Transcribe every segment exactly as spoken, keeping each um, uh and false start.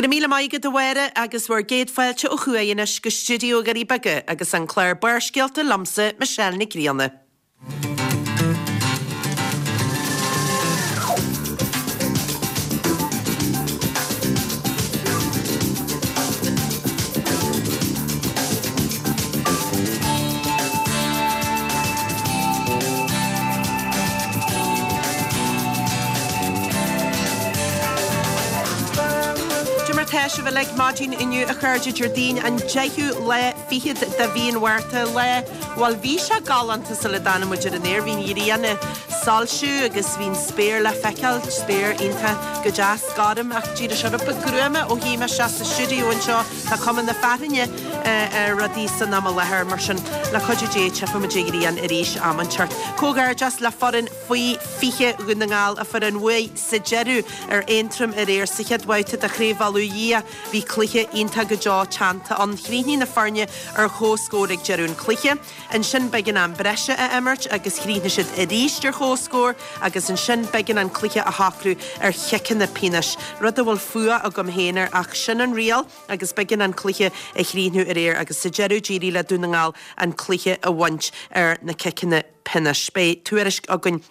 Go raibh míle maith agat a Mháire agus bhur gcéad fáilte ó thuaidh anois go stiúideo Dhoirí Beaga agus an clár Barrscéalta liomsa, Michelle Nic Grianna. Cad é mar tá sibh uilig maidin inniu a chairde Déardaoin an deichiú lá fichead de mhí an Mhárta lá bhuel bhí sé galánta sula dtáinig muid ar an aer bhí an ghrian ag soilsiú agus bhí an spéir le feiceáil spéir iontach go deas gorm ach d'éirigh sé rud beag gruama ó shuigh mé isteach sa stiúideo anseo tá cuma na fearthainne ar rudaí san am i láthair mar sin le cuidiú Dé tchífidh muid an ghrian arís am inteacht. Comhghairdeas le foireann faoi fiche Dhún na nGall a fuair an bhuaidh sa deireadh ar Aontroim aréir sa chéad bhabhta de Chraobh Uladh Dhia. Bhí cluiche iontach go deo teannta ann. Chríochnaigh na foirne ar chomhscór ag deireadh an chluiche. Ansin b'éigean am breise a imirt agus chríochnaigh siad arís ar chomhscór agus ansin b'éigean an cluiche a shocrú ar chiceanna pionóis, rud a bhfuil fuath agam féin air ach sin an riail agus b'éigean an cluiche a chríochnú aréir agus sa deireadh d'éirigh le Dún na nGall an cluiche a bhaint ar na ciceanna pionóis. Beidh tuairisc againn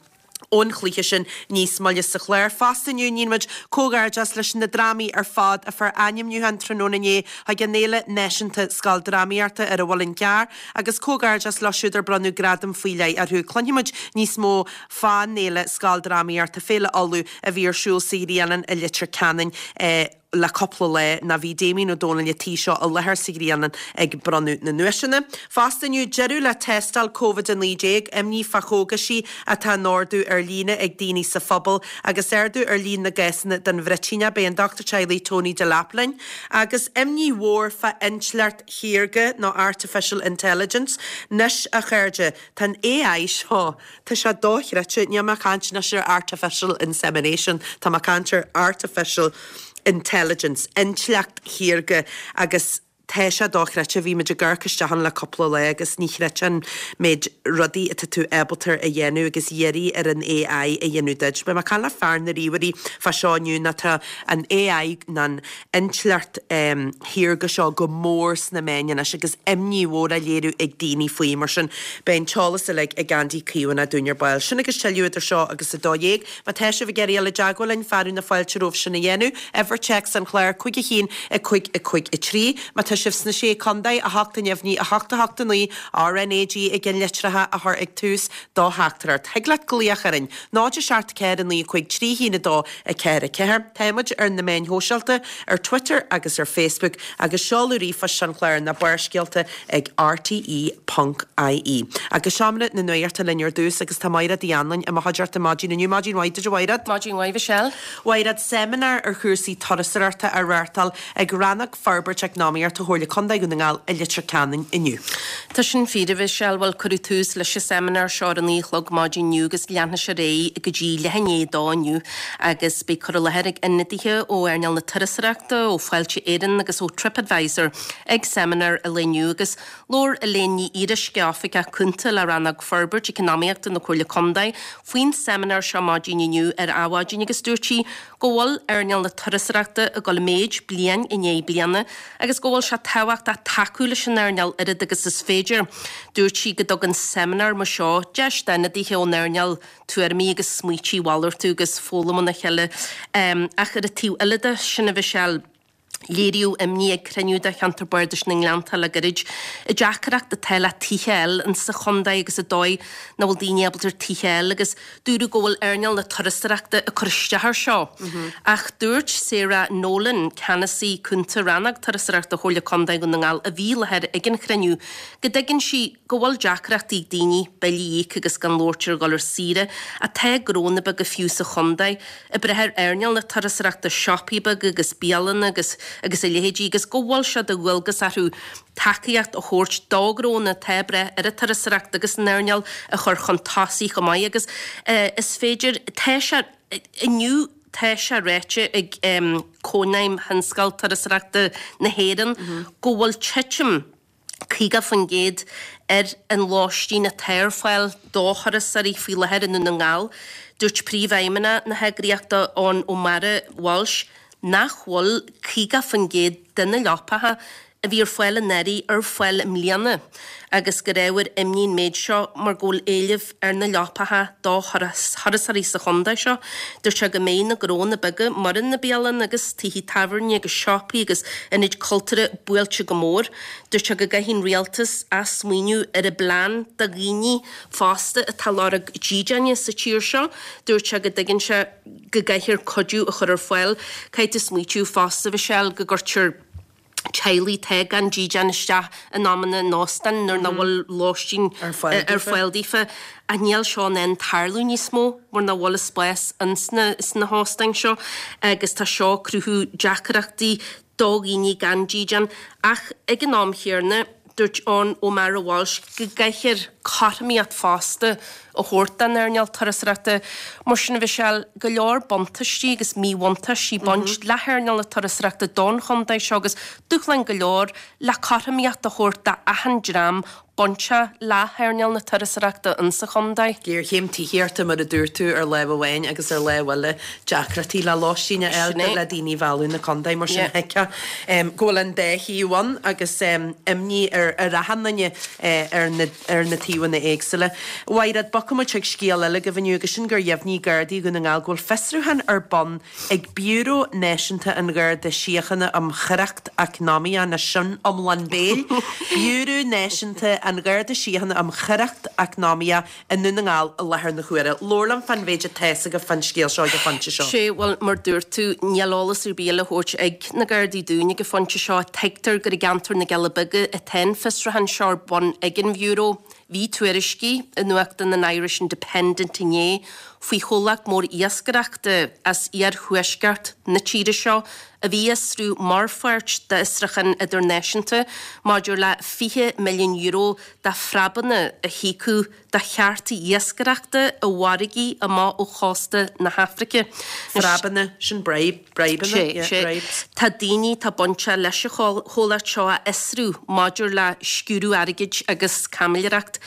ón chluiche sin níos moille sa chlár. Fosta inniu níonn muid comhghairdeas leis na drámaí ar fad a fuair ainmniúchán tráthnóna inné chuig an Fhéile Náisiúnta Scoildrámaíochta ar an Mhuileann gCearr agus comhghairdeas leo siúd ar bronnadh gradam faoi leith orthu. Cluinfidh muid níos mó fán Fhéile Scoildrámaíochta, Féile Uladh, a bhí ar siúl sa Ghrianán i Leitir Ceanainn le cúpla lá ná bhí Damien Ó Dónaill an tí seo i láthair sa Ghrianán ag bronnadh na nduaiseanna. Fosta inniu, deireadh le tástáil Covid a naoi déag, imní fá chógaisí atá á n-ordú ar líne ag daoine sa phobal agus ardú ar líon na gcásanna den bhruitíneach. Beidh an Dochtúir Teaghlaigh Tony Delap linn. Agus imní mhór fá intleacht shaorga nó artificial intelligence. Anois, a chairde, tá an AI seo, tá sé dochreidte, níl mé ag caint anois ar artificial insemination, tá mé ag caint ar artificial intelligence, intleacht shaorga agus tá sé dochreidte, bhí muid ag amharc isteach ann le cúpla lá agus ní chreidfeá an méid rudaí atá tú ábalta a dhéanamh agus iarraidh ar an AI a dhéanamh duit. Beidh mé ag caint le fear na ríomhairí fá seo inniu ná tá an AI ná an intleacht shaorga seo go mór sna meáin anois agus imní mhór á léiriú ag daoine faoi mar sin beidh an t-eolas uilig ag Andy Caomhánach dúinn ar ball. Sin agus tuilleadh idir seo agus a dó dhéag. Má tá sibh ag iarraidh dul i dteagmháil linn, fearadh na fáilte romhaibh sin a dhéanamh. Uimhir téacs an chláir, cúig a haon, a cúig, a cúig, a trí. Má tá sibh sna Sé Contae, a hocht a neamhní, a hocht a hocht a naoi, RnaG i gceannlitreacha a chur ag tús do theachtaireacht. Thig leat glaoch orainn, náid a seacht ceathair a naoi a cúig trí haon a dó a ceathair a ceathair. Tá muid ar na meáin shóisialta, ar Twitter agus ar Facebook, agus seoladh ríomhphoist an chláir ná Barrscéalta ag rte ponc ie. Agus seomra na nuachta linn ar dtús agus tá Maighread Uí Anluain i mo chuideachta maidin inniu. Maidin mhaith duit a Mhaighread. Maidin mhaith Michelle. Mhaighread, seimineár ar chúrsaí turasóireachta á reáchtáil ag Rannóg Forbairt Eacnamaíochta Chomhairle Contae Dhún na nGall i Leitir Ceanainn inniu. Tá sin fíor a Mhichelle, bhuel cuireadh tús leis an seimineár seo ar a naoi a chlog maidin inniu agus leanfaidh sé ar aghaidh go dtí leath i ndiaidh a dó inniu agus beidh cur i láthair ag ionadaithe ó earnáil na turasóireachta, ó Fáilte Éireann agus ó TripAdvisor ag seimineár an lae inniu agus labhair Elaine Ní Fhíoruisce, Oifigeach Cúnta le Rannóg Forbairt Eacnamaíochta na Comhairle Contae, faoin seimineár seo maidin inniu ar Adhmhaidin agus dúirt sí go bhfuil earnáil na turasóireachta ag dul i méid bliain i ndiaidh bliana agus go bhfuil sé tábhachtach tacú leis an earnáil oiread agus is féidir. Dúirt sí go dtugann seimineár mar seo deis d'ionadaithe ón earnáil tuairimí agus smaoití a mhalartú agus foghlaim óna chéile. Ach ar an taobh eile de sin a Mhichelle, léiríodh imní ag cruinniú de Cheantar Bardais na nGleannta le gairid, an deacracht atá le tithe a fháil insa chontae agus an dóigh nach bhfuil daoine ábalta ar tithe a fháil agus dúradh go bhfuil earnáil na turasóireachta ag cur isteach air seo. Ach dúirt Sarah Nolan, Ceannasaí Cúnta Rannóg Turasóireachta Chomhairle Contae Dhún na nGall a bhí i láthair ag an chruinniú, go dtuigeann sí go bhfuil deacrachtaí ag daoine billí a íoc agus gan labhairt ar dhul ar saoire, ach tá gnónna beaga fiú sa chontae ag brath ar earnáil na turasóireachta, siopaí beaga agus bialanna agus agus a leithéidí agus go bhfuil sé de dhualgas orthu tacaíocht a thabhairt do ghnónna atá ag brath ar an turasóireacht agus an earnáil a chur chun tosaigh chomh maith agus is féidir. Tá sé inniu tá sé ráite ag Cónaidhm Thionscal Turasóireachta na hÉireann go bhfuil titim caoga faoin gcéad ar an lóistín atá ar fáil do thurasóirí faoi láthair i nDún na nGall. Dúirt Príomhfheidhmeannach na heagraíochta, Eoin O'Meara Walsh, nach bhfuil caoga faoin gcéad de na leapacha a bhí ar fáil anuraidh ar fáil i mbliana agus gur ábhar imní an méid seo mar go bhfuil éileamh ar na leapacha do thurasóirí sa chontae seo. Dúirt sé go mbeidh na gnónna beaga mar na bialanna agus tithe tábhairne agus siopaí agus ionaid cultúrtha buailte go mór. Dúirt sé go gcaithfidh an rialtas athsmaoineamh ar a bplean do dhaoine fásta atá ag lorg dídeáin sa tír seo. Dúirt sé go dtuigeann sé go gcaithfear cuidiú a chur ar fáil. Caithfidh tú smaoitiú fosta, Mhichelle, go gcuirtear teaghlaigh atá gan dídean isteach in amanna in óstáin nuair nach bhfuil lóistín ar fáil daofa. Ach níl seo in ann tarlú níos mó mar nach bhfuil spás ins na hóstáin seo agus tá seo ag cruthú deacrachtaí do dhaoine gan dídean. Ach ag an am chéanna, dúirt Eoghan O'Meara Walsh go gcaithfear cothromaíocht fosta a thabhairt don earnáil turasóireachta. Mar sin, a Mhichelle, go leor buntáistí agus míbhuntáistí ag baint le hearnáil na turasóireachta don chontae seo agus dúshláin go leor le cothromaíocht a thabhairt d'achan dream bainteach le hearnáil na turasóireachta insa chontae. Géarchéim tithíochta, mar a dúirt tú, ar lámh amháin agus ar lámh eile deacrachtaí le lóistín a fháil le daoine a mhealladh na contae. Mar sin thuigfeá go bhfuil an dá thaobh ann agus imní ar achan duine ar na ar na taobhanna éagsúla. A Mhaighread, bogfaidh muid chuig scéal eile agaibh inniu agus sin gur dheimhnigh Gardaí Dhún na nGall go bhfuil fiosrúchán ar bun ag Biúró Náisiúnta an Gharda Síochána um Choireacht Eacnamaíoch, nó sin iomlán béil, Biúró Náisiúnta an Gharda Síochána um Choireacht Eacnamaíoch i nDún na nGall i láthair na huaire. Labhair liom fán mhéid atá fhios agaibh fán scéal seo ag an phointe seo. Sé, bhuel, mar dúirt tú, níl eolas ar bith le thabhairt ag na Gardaí dúinn ag an phointe seo. Tuigtear gur i gceantar na gCealla Beaga atá an fiosrúchán seo ar bun ag an Bhiúró. Bhí tuairiscí i nuachtán an Irish Independent inné faoi chomhlacht mór iascaireachta as iarthuaisceart na tíre seo a bhí á fhiosrú mar pháirt d'fhiosrúchán idirnáisiúnta maidir le fiche milliún euro de phreabanna a híocadh do chearta iascaireachta i bhfarraigí amach ó chósta na hAfraice. Preabanna, sin bribe, bribeanna, Sé, yeah, sé. bribes. Tá daoine atá bainteach leis an chomhlacht seo á fhiosrú maidir le sciúradh airgid agus caimiléireacht.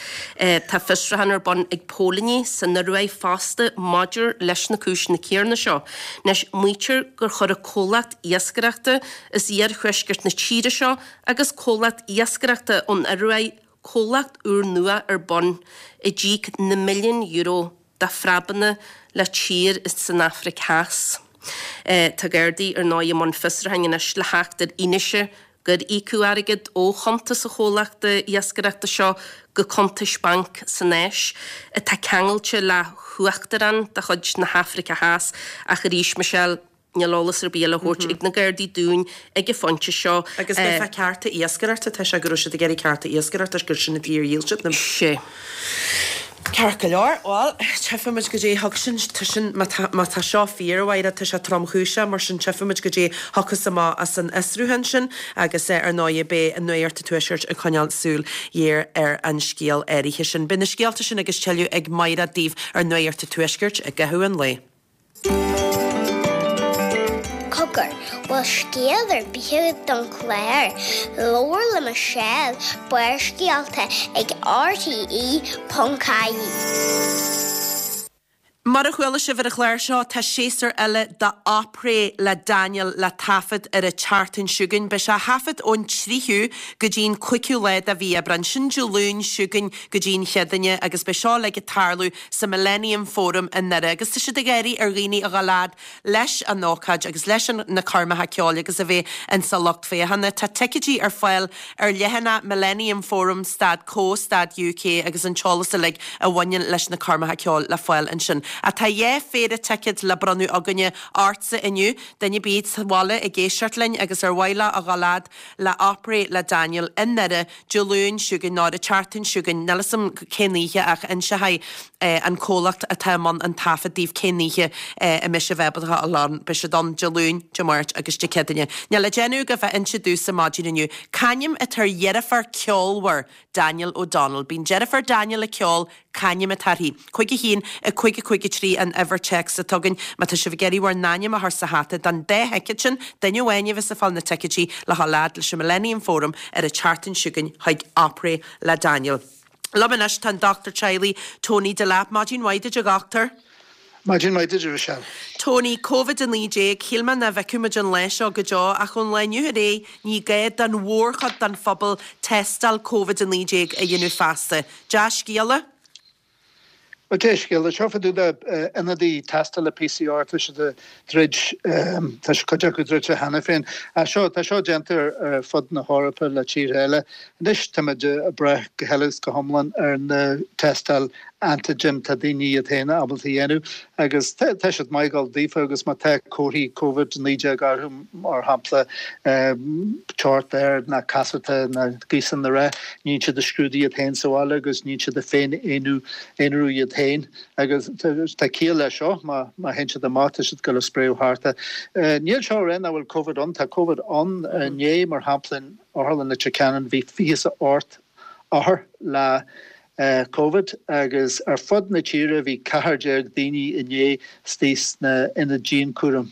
Tá fiosrúchán ar bun ag póilíní san Ioruaidh fosta maidir leis na cúiseanna céanna seo. Anois, maítear gur chuir an comhlacht iascaireachta as iarthuaisceart na tíre seo agus comhlacht iascaireachta ón Ioruaidh comhlacht úrnua ar bun a d'íoc na milliúin euro de phreabanna le tír san Afraic Theas. Tá Gardaí ar ndóigh i mbun fiosrúcháin anois le theacht ar fhianaise gur íocadh airgead ó chuntas an chomhlachta iascaireachta seo go cuntais bainc san Áis atá ceangailte le huachtarán de chuid na hAfraice Theas ach arís, Michelle, níl eolas ar bith le thabhairt ag na Gardaí dúinn ag an phointe seo. Agus b'é fá cearta iascaireachta, tá sé go raibh siad ag iarraidh cearta iascaireachta gur sin an tír a dhíol siad na. Sé. Ceart go leor, bhuel, tchífimid goidé a thug sin, tá sin, má tá, má tá seo fíor, a Mháire, tá sé tromchúiseach, mar sin tchífimid goidé a thiocfas amach as an fhiosrúchán sin agus ar ndóigh beidh Nuacht an Tuaiscirt ag coinneáil súil ghéar ar an scéal áirithe sin. Beidh na scéalta sin agus tuilleadh ag Máire daoibh ar Nuacht an Tuaiscirt i gcaitheamh an lae. Cogar, bhfuil scéal ar bith agat don chlár? Labhair le Michelle, Barrscéalta ag RTE ponc ie. Mar a chuala sibh ar an chlár seo, tá séasúr eile de Opry le Daniel le taifead ar an tseachtain seo chugainn. Beidh sé á thaifead ón tríú go dtí an cúigiú lá de mhí Aibreán. Sin Dé Luain seo chugainn go dtí an Chéadaoine agus beidh seo uilig ag tarlú sa Millennium Forum i nDoire agus tá siad ag iarraidh ar dhaoine a dhul fhad leis an ócáid agus leis na coirmeacha ceoil agus a bheith insa lucht féachana. Tá ticéidí ar fáil ar leathanach Millennium Forum stad co stad uk agus an t-eolas uilig a bhaineann leis na coirmeacha ceoil le fáil ansin. Ach tá dhá phéire ticéad le bronnadh againne ortsa inniu, duine ar bith sa bhaile ag éisteacht linn agus ar mhaith leo a dhul fhad le Opry le Daniel i nDoire Dé Luain seo chugainn nó ar an tseachtain seo chugainn, níl 'fhios a'm cén oíche ach inseoidh an comhlacht atá i mbun an taifead daoibh cén oíche a mbeidh sibh ábalta a dhul ann. Beidh siad ann Dé Luain, Dé Máirt agus Dé Céadaoine. Níl le déanamh agaibh ach inse domhsa maidin inniu c'ainm atá ar dheirfiúr ceolmhar Daniel O'Donnell. Bíonn deirfiúr Daniel ag ceol, c'ainm atá uirthi? Cúig a haon, a cúig a cúig a trí an uimhir téacs atá againn. Má tá sibh ag iarraidh bhur n-ainm a chur sa hata don dá thicéad sin, duine amháin a bheas ag fáil na ticéidí le dhul fhad leis an Millennium Forum ar an tseachtain seo chugainn chuig Opry le Daniel. Liom anois tá an dochtúir teaghlaigh Tony Delap. Maidin mhaith duit a dhochtúir. Maidin mhaith duit, a Mhichelle. Tony, Covid a naoi déag, shíl mé nach bhfeicfeadh muid an lá seo go deo ach ón lá inniu ar aghaidh ní gá don mhórchuid den phobal tástáil Covid a naoi déag a dhéanamh feasta. Dea-scéala? Bhuel, dea-scéala. Seo fá dtaobh de ionadaí tástála P C R, tá siad ag troid, tá cuid acu druidte cheana féin. Seo, tá seo déanta ar fud na hEorpa le tíortha eile. Anois táimid ag brath go huile is go hiomlán ar na tástáil antigen tá daoine iad féin ábalta a dhéanamh agus tá siad maith ag dul daofa agus má tá comharthaí Covid naoi déag orthu, mar shampla teocht ard ná casúrta ná gaosan na rith, níonn siad a scrúdú iad féin sa bhaile agus níonn siad a féin aonrú iad féin agus tá ciall leis seo má má théann siad amach tá siad ag dul a spréadh thart. Níl seo ag rá nach bhfuil Covid ann, tá Covid ann inné mar shampla in Otharlann Leitir Ceanainn bhí fiche is a ocht othar le Covid agus ar fud na tíre bhí ceathair déag daoine inné istigh sna ionaid dianchúraim.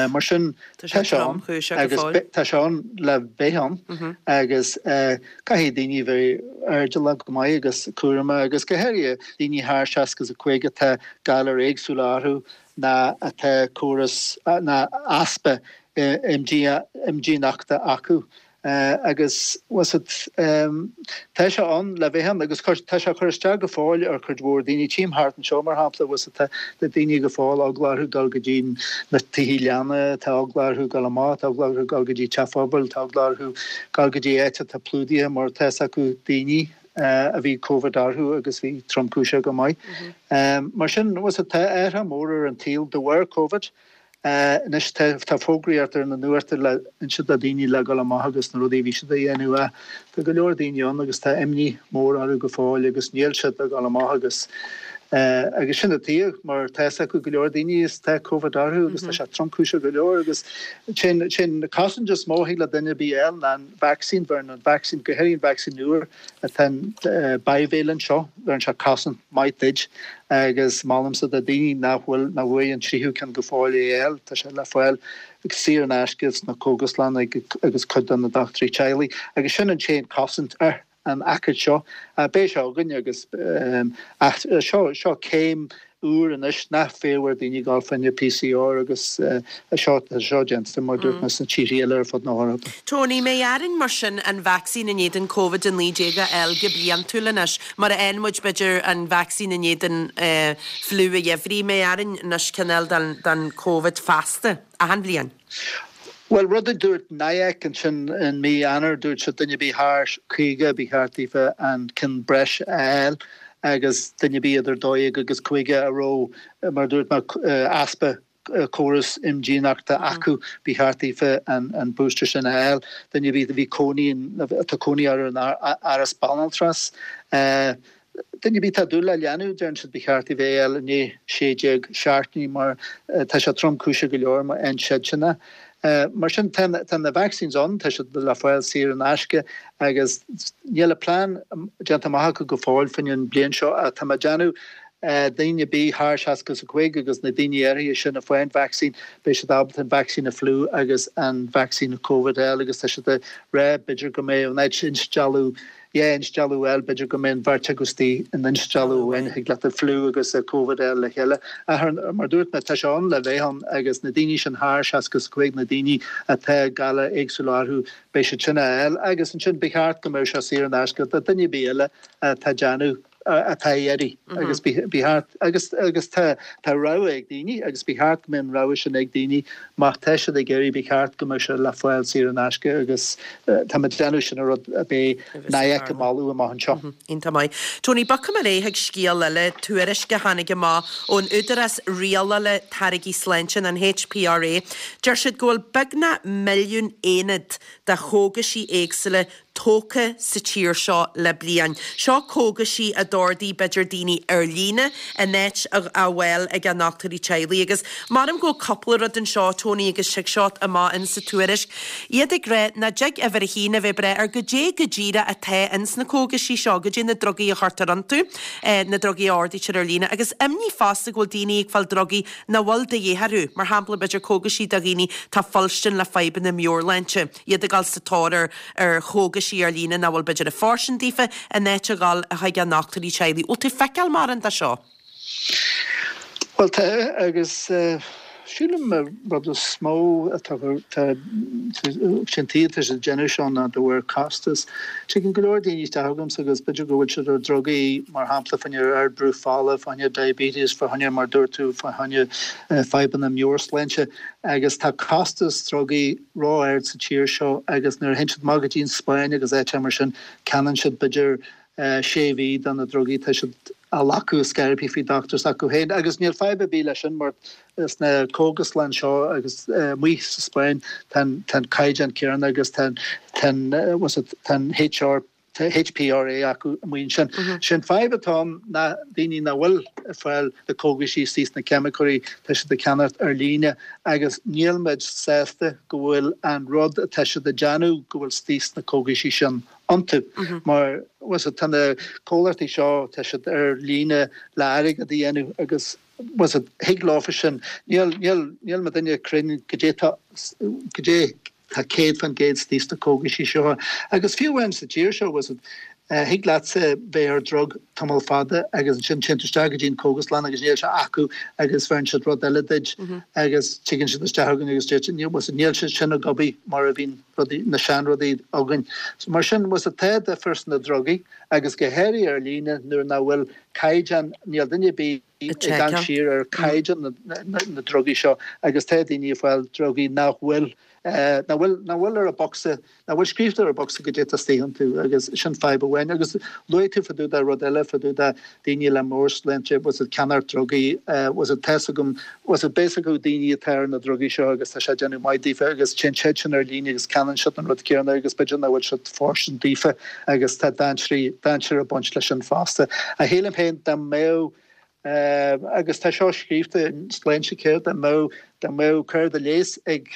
Mar sin tá sé ann agus tá sé ann le bheith ann agus caithfidh daoine bheith airdeallach go maith agus cúramach agus go háirithe daoine thar seasca is a cúig atá galair éagsúla orthu ná atá córas ná easpa imdhíonachta acu. Agus tá sé ann le bheith ann agus tá sé ag cur isteach go fóill ar chuid mhór daoine. Tchím thart anseo mar shampla tá daoine go fóill eagla orthu dul go dtí na tithe leanna, tá eagla orthu dul amach, tá eagla orthu dul go dtí teach phobail, tá eagla orthu dul go dtí áit atá plódaithe mar tá fhios acu daoine a bhí Covid orthu agus bhí tromchúiseach go maith. Mar sin tá athrú mór ar an tsaol de bharr Covid. Anois tá fógraíocht ar na nuachta le inse do daoine le dul amach agus na rudaí a bhí siad a dhéanamh ach tá go leor daoine ann agus tá imní mór orthu go fóill agus níl siad ag dul amach agus agus sin atá mar tá fhios acu go leor daoine is tá Covid orthu agus tá sé tromchúiseach go leor agus sin sin cosaint is mó a thig le duine ar bith a fháil ná an vacsaín bheireann an vacsaín go háirithe an vacsaín úr atá an bivalent seo bheireann sé cosaint maith duit. Agus molaimse do daoine nach bhfuil nach bhfuair an tríú ceann go fóill é a fháil, tá sé le fáil saor in aisce sna cógaslanna agus cuid de na dochtúirí teaghlaigh. Agus sin an t-aon cosaint ar an aicíd seo. Beidh sé againn agus ach seo seo céim úr anois nach féidir daoine dul fá choinne P C R agus seo seo déanta mar dúirt mé sna tíortha eile ar fud na hEorpa. Tony, mbeidh orainn mar sin an vacsaín in éadan Covid a naoi déag a fháil go bliantúil anois, mar a fhaigheann muid b'fhéidir an vacsaín in éadan fliú an gheimhridh, mbeidh orainn anois cineál den den Covid feasta, achan bhliain? Bhuel, rud a dúirt N I A C ansin in mí Eanáir, dúirt siad duine ar bith thar caoga ba cheart daofa an ceann breise a fháil agus duine ar bith idir dó dhéag agus caoga a raibh, mar a dúirt mé, easpa córas imdhíonachta acu, ba cheart daofa an booster sin a fháil. Duine ar bith a bhí cónaí, atá cónaí orthu in áras banaltrais, duine ar bith atá dúil le leanbh, deireann siad ba cheart daofa é a fháil i ndiaidh sé déag seachtainí mar tá sé tromchúiseach go leor má fhaigheann siadsan é. Mar sin tá na vaccines ann, tá siad le fáil saor in aisce agus níl a plean déanta amach acu go fóill faoin an bliain seo ach tá mé ag déanamh daoine ar bith thar seasca is a cúig agus na daoine áirithe sin a fuair an vacsaín, beidh siad ábalta an vacsaín a fliú agus an vacsaín a Covid a fháil agus tá siad ag rá b'fhéidir go mbeidh an áit instealladh dhá instealladh a fháil, b'fhéidir go mbeidh an bheirt acu istigh in instealladh amháin, thig leat an fliú agus an Covid a fháil le chéile. Ach mar a dúirt mé, tá sé ann le bheith ann agus na daoine sin thar seasca is a cúig, na daoine atá galair éagsúla orthu, beidh siad sin á fháil agus ansin ba cheart go mbeadh sé saor in aisce do duine ar bith eile atá ag déanamh atá ag iarraidh agus ba cheart agus agus tá tá rogha ag daoine agus ba cheart go mbeadh an rogha sin ag daoine má tá siad ag iarraidh ba cheart go mbeadh sé le fáil saor in aisce agus tá mé ag déanamh sin an rud a bheidh N I A C ag moladh amach anseo. Iontach maith. Tony, bogfaidh mé ar aghaidh chuig scéal eile, tuairisc a tháinig amach ón Údarás Rialála Táirgí Sláinte, an H P R A. Deir siad go bhfuil beagnach milliún aonad de chógaisí éagsúla tógtha sa tír seo le bliain. Seo cógaisí a d'ordaigh b'fhéidir daoine ar líne in áit a ghabháil ag a ndochtúirí teaghlaigh. Agus maram go bhfuil cúpla rud anseo, Tony, agus tig seo amach in sa tuairisc. Iad ag rá nach dtig uimhir a haon a bheith breith ar goidé go díreach atá ins na cógaisí seo, goidé na drugaí a chuirtear iontu, na drugaí a ordaítear ar líne, agus imní fosta go bhfuil daoine ag fáil drugaí nach bhfuil de dhíth orthu, mar shampla b'fhéidir cógaisí do dhaoine tá fuilstin le fadhbanna meabhairshláinte, iad ag dul sa tóir ar ar chógaisí ar líne nach bhfuil b'fhéidir ag fóirstean daofa in áit a ghabháil chuig a ndochtúirí teaghlaigh. Bhfuil tú ag feiceáil mórán de seo? Bhuel tá agus sílim rud is mó atá sin tá sé déanamh seo ná de bharr costas. Tagann go leor daoine isteach chugamsa agus b'fhéidir go bhfuil siad ar drugaí mar shampla fá choinne ardbhrú fola, fá choinne diabetes, fá choinne mar dúirt tú fá choinne fadhbanna meabhairshláinte agus tá costas drugaí ró-ard sa tír seo agus nuair a théann siad amach go dtí an Spáinn agus áiteanna mar sin ceannaíonn siad b'fhéidir sé mhí de na drugaí tá siad á ghlacadh scaipthe faoi dochtúir s'acu féin agus níl fadhb ar bith leis sin mar sna cógaslanna seo agus amuigh sa Spáinn tá an caighdeán céanna agus tá an HR HPRA acu amuigh ansin. Sin fadhb atá ann ná daoine nach bhfuil ag fáil na cógaisí istigh sna ceimiceoirí tá siad ag ceannacht ar líne agus níl muid sásta go bhfuil an rud atá siad ag déanamh go bhfuil istigh sna cógaisí sin iontu mar tá na comhlachtaí seo tá siad ar líne le airgead a dhéanamh agus thig leofa sin níl níl níl mo duine cruinn goidé tá goidé tá céad faoin gcéad istigh sna cógaisí seo agus fiú amháin sa tír seo thig leatsa bheith ar drug tamall fada agus ansin téann tú isteach go dtí an cógaslann agus níl sé acu agus bheireann siad rud eile duit agus tigeann siad isteach chugainn agus deir siad níl sé sin ag obair mar a bhíonn rudaí na seanrudaí againn. So mar sin was tá difear sna drugaí agus go háirithe ar líne nuair nach bhfuil caighdeán níl duine ar bith ag amharc siar ar caighdeán na, na, na drugaí seo agus tá daoine ag fáil drugaí nach bhfuil nach bhfuil nach bhfuil ar an bocsa nach bhfuil scríofa ar an bocsa goidé atá istigh iontu agus sin fadhb amháin agus luaigh tú fá dtaobh de rud eile fá dtaobh de daoine le meabhairshláinte was ag ceannacht drugaí was tá a fhios agam was basically daoine atá ar na drugaí seo agus tá sé déanamh maith daofa agus téann siad sin ar líne agus ceannaíonn siad an rud céanna agus b'fhéidir nach bhfuil siad fóirstean daofa agus tá dainséar dainséar ag baint leis sin fosta. A shílim féin dá mbeadh agus tá seo scríofa in Sláintecare dá mbeadh dá mbeadh cárta leighis ag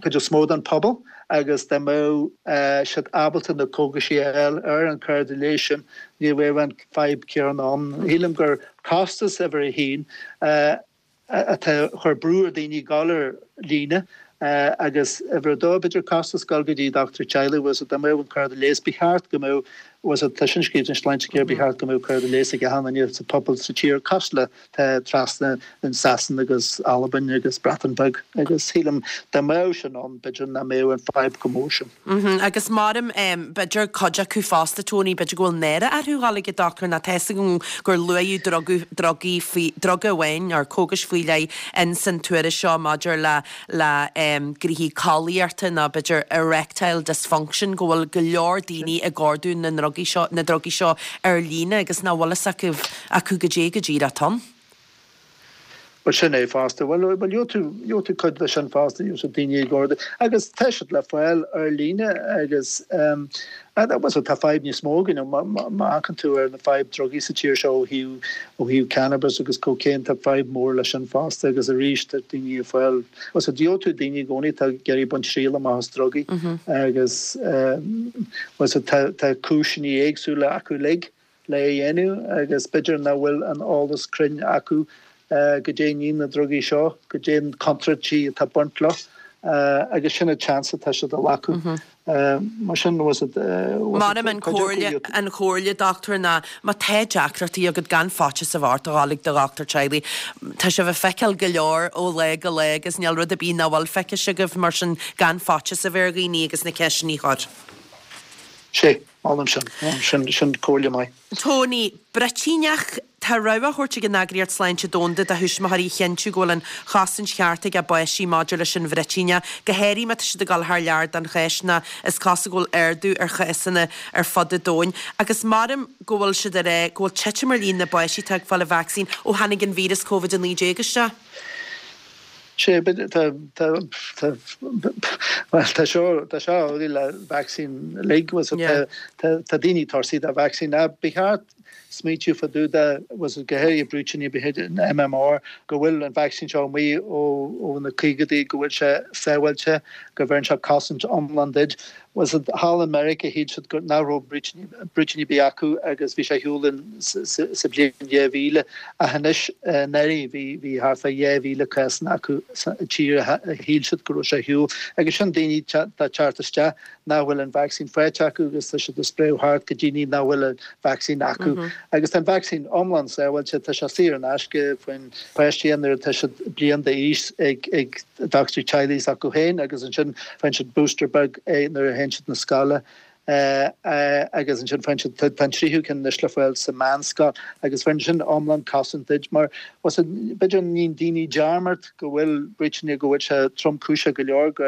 cuid is mó den pobal agus dá mbeadh siad ábalta na cógaisí a fháil ar an cárta leighis sin ní bheadh an fadhb céanna ann. Shílim gur costas uimhir a haon atá chur brú ar daoine dul ar líne agus uimhir a dó b'fhéidir costas dul go dtí dochtúir teaghlaigh was dá mbeadh an cárta leighis ba cheart go mbeadh was tá sin scríofa in Sláintecare ba cheart go mbeadh cárta leighis ag achan duine sa pobal sa tír cosúil le trasna in Sasain agus Albain agus Breatain Bheag agus shílim dá mbeadh sin ann b'fhéidir nach mbeadh an fadhb chomh mór sin. Agus maram b'fhéidir cuid acu fosta Tony b'fhéidir go bhfuil náire orthu dhul ag an dochtúir nó tá a fhios agam gur luaíodh druga drugaí faoi druga amháin nó cógais faoi leith in san tuairisc seo maidir le le gnoithí collaíochta nó b'fhéidir erectile dysfunction go bhfuil go leor daoine ag ordú na ndrugaí seo na drugaí seo ar líne agus nach bhfuil fhios acu acu goidé go díreach ann. Well sin é fosta well well gheobhaidh tú gheobhaidh tú cuid de sin fosta gheobhaidh daoine ag ordú agus tá siad le fáil ar líne agus um, was tá fadhb níos mó againn má amharcann tú ar na fadhb drugaí sa tír seo ó thaobh ó thaobh cannabis agus cocaine tá fadhb mór leis sin fosta agus arís tá daoine ag fáil was a gheobhaidh tú daoine i gcónaí tá ag iarraidh baint triail amach as drugaí agus um, was tá tá cúiseanna éagsúla acu uilig le dhéanamh agus b'fhéidir nach bhfuil an eolas cruinn acu goidé níon na drugaí seo, goidé an contúirtí atá baint leo agus sin an chance atá siad a ghlacadh. Mar sin was Maram an chomhairle an chomhairle dochtúir ná má tá deacrachtaí agat gan faitíos a bheith ort a dhul ag do dhochtúir teaghlaigh. Tá sibh ag feiceáil go leor ó lá go lá agus níl rud ar bith nach bhfuil feicthe agaibh mar sin gan faitíos a bheith ar dhaoine agus na ceisteanna a chur. Sé molaim sin sin sin comhairle maith. Tony, Bruitíneach Tá rabhadh á thabhairt ag an Eagraíocht Sláinte Domhanda do thuismitheoirí a chinntiú go bhfuil an chosaint cheart ag a bpáistí maidir leis an bhruitíneach, go háirithe má tá siad ag dul thar lear don Cháisc ná is cosúil go bhfuil ardú ar chásanna ar fud an domhain. Agus maram go bhfuil siad ar é go bhfuil titim ar líon na bpáistí atá ag fáil an vacsaín ó tháinig an víreas Covid a naoi déag isteach. Sé tá tá seo tá seo le vacsaín uilig was tá daoine tuirseach de vacsaín ná ba cheart smaointiú fá dtaobh de was go háirithe brúitíní b'fhéidir an MMR go bhfuil an vacsaín seo amuigh ó ó na caogaidí go bhfuil sé sábháilte go bhfuil sé cosaint iomlán duit. Was thall in America shíl siad go nach raibh brúitíní ar bith acu agus bhí sé ar siúl sa bhliain dhá mhíle ach anois anuraidh bhí bhí thart fá dhá mhíle cásanna acu sa tír a shíl siad go raibh sé ar siúl agus sin daoine tá teacht isteach nach bhfuil an vacsaín faighte acu agus tá siad ag spréadh thart go daoine nach bhfuil an vacsaín acu Agus tá an vacsaín iomlán sábháilte, tá sé saor in aisce, faigheann páistí nuair atá siad bliain d'aois ag ag dochtúir teaghlaigh s'acu féin agus ansin faigheann siad booster beag nuair a théann siad na scoile. Agus ansin faigheann siad, tá an tríú ceann anois le fáil sa mheánscoil agus bheireann sin iomlán cosaint duit mar b'fhéidir níonn daoine dearmad go bhfuil bruíteanna go bhfuil sé tromchúiseach go leor go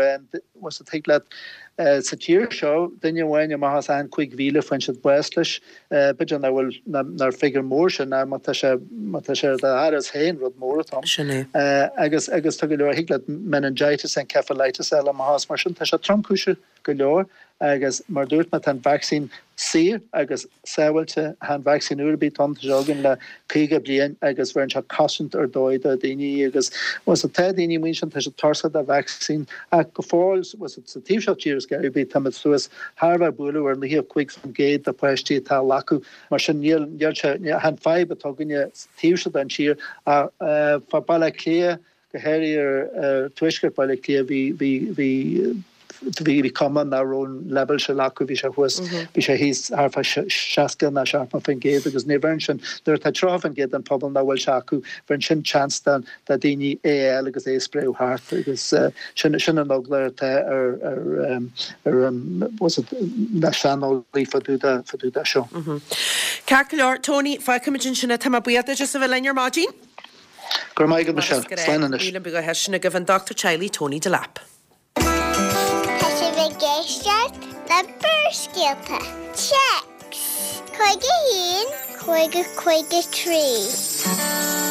bhfuil thig leat sa tír seo duine amháin amach as achan cúig mhíle faigheann siad bás leis. B'fhéidir nach bhfuil nár figiúr mór sin ach má tá sé má tá sé ar d'fhearas féin rud mór atá ann. Sin é. Agus agus tá go leor thig leat meningitis encephalitis eile amach as mar sin tá sé tromchúiseach go leor agus mar dúirt mé tá an vacsaín saor agus sábháilte, tá an vacsaín uair ar bith ann, tá sé againn le caoga bliain agus bheireann sé cosaint ar dóigh do dhaoine agus bhuel so tá daoine amuigh ansin, tá siad tuirseach de vacsaín ach go fóill bhuel sa taobh seo tíre is gar ar bith táimid suas thar bheith bualadh ar naocha cúig faoin gcéad de pháistí atá á ghlacadh mar sin níl níl sé chan fadhb atá againne sa taobh seo den tír ach fá Baile Átha Cliath go háirithe ar tuaisceart Bhaile Átha Cliath bhí bhí bhí bhí bhí cuma nach raibh an leibhéal sin acu, bhí sé thuas, bhí sé thíos thart fá seasca nó seachtó faoin gcéad agus ní bheireann sin, nuair atá tríocha faoin gcéad den phobal nach bhfuil sé acu, bheireann sin seans do do dhaoine é a fháil agus é a spréadh thart agus sin sin an eagla atá ar ar ar an what's it na saineolaí fá dtaobh de fá dtaobh de seo. Ceart go leor, Tony, fágfaimid ansin é, tá mé buíoch duit as a bheith linn ar maidin. Go raibh maith agat, Michelle. Slán anois. Míle buíochas sin agaibh an Dochtúir Teaghlaigh Tony Delap. Tá sibh ag éisteacht le Barrscéalta. Téacs cúig a haon, cúig a cúig a trí.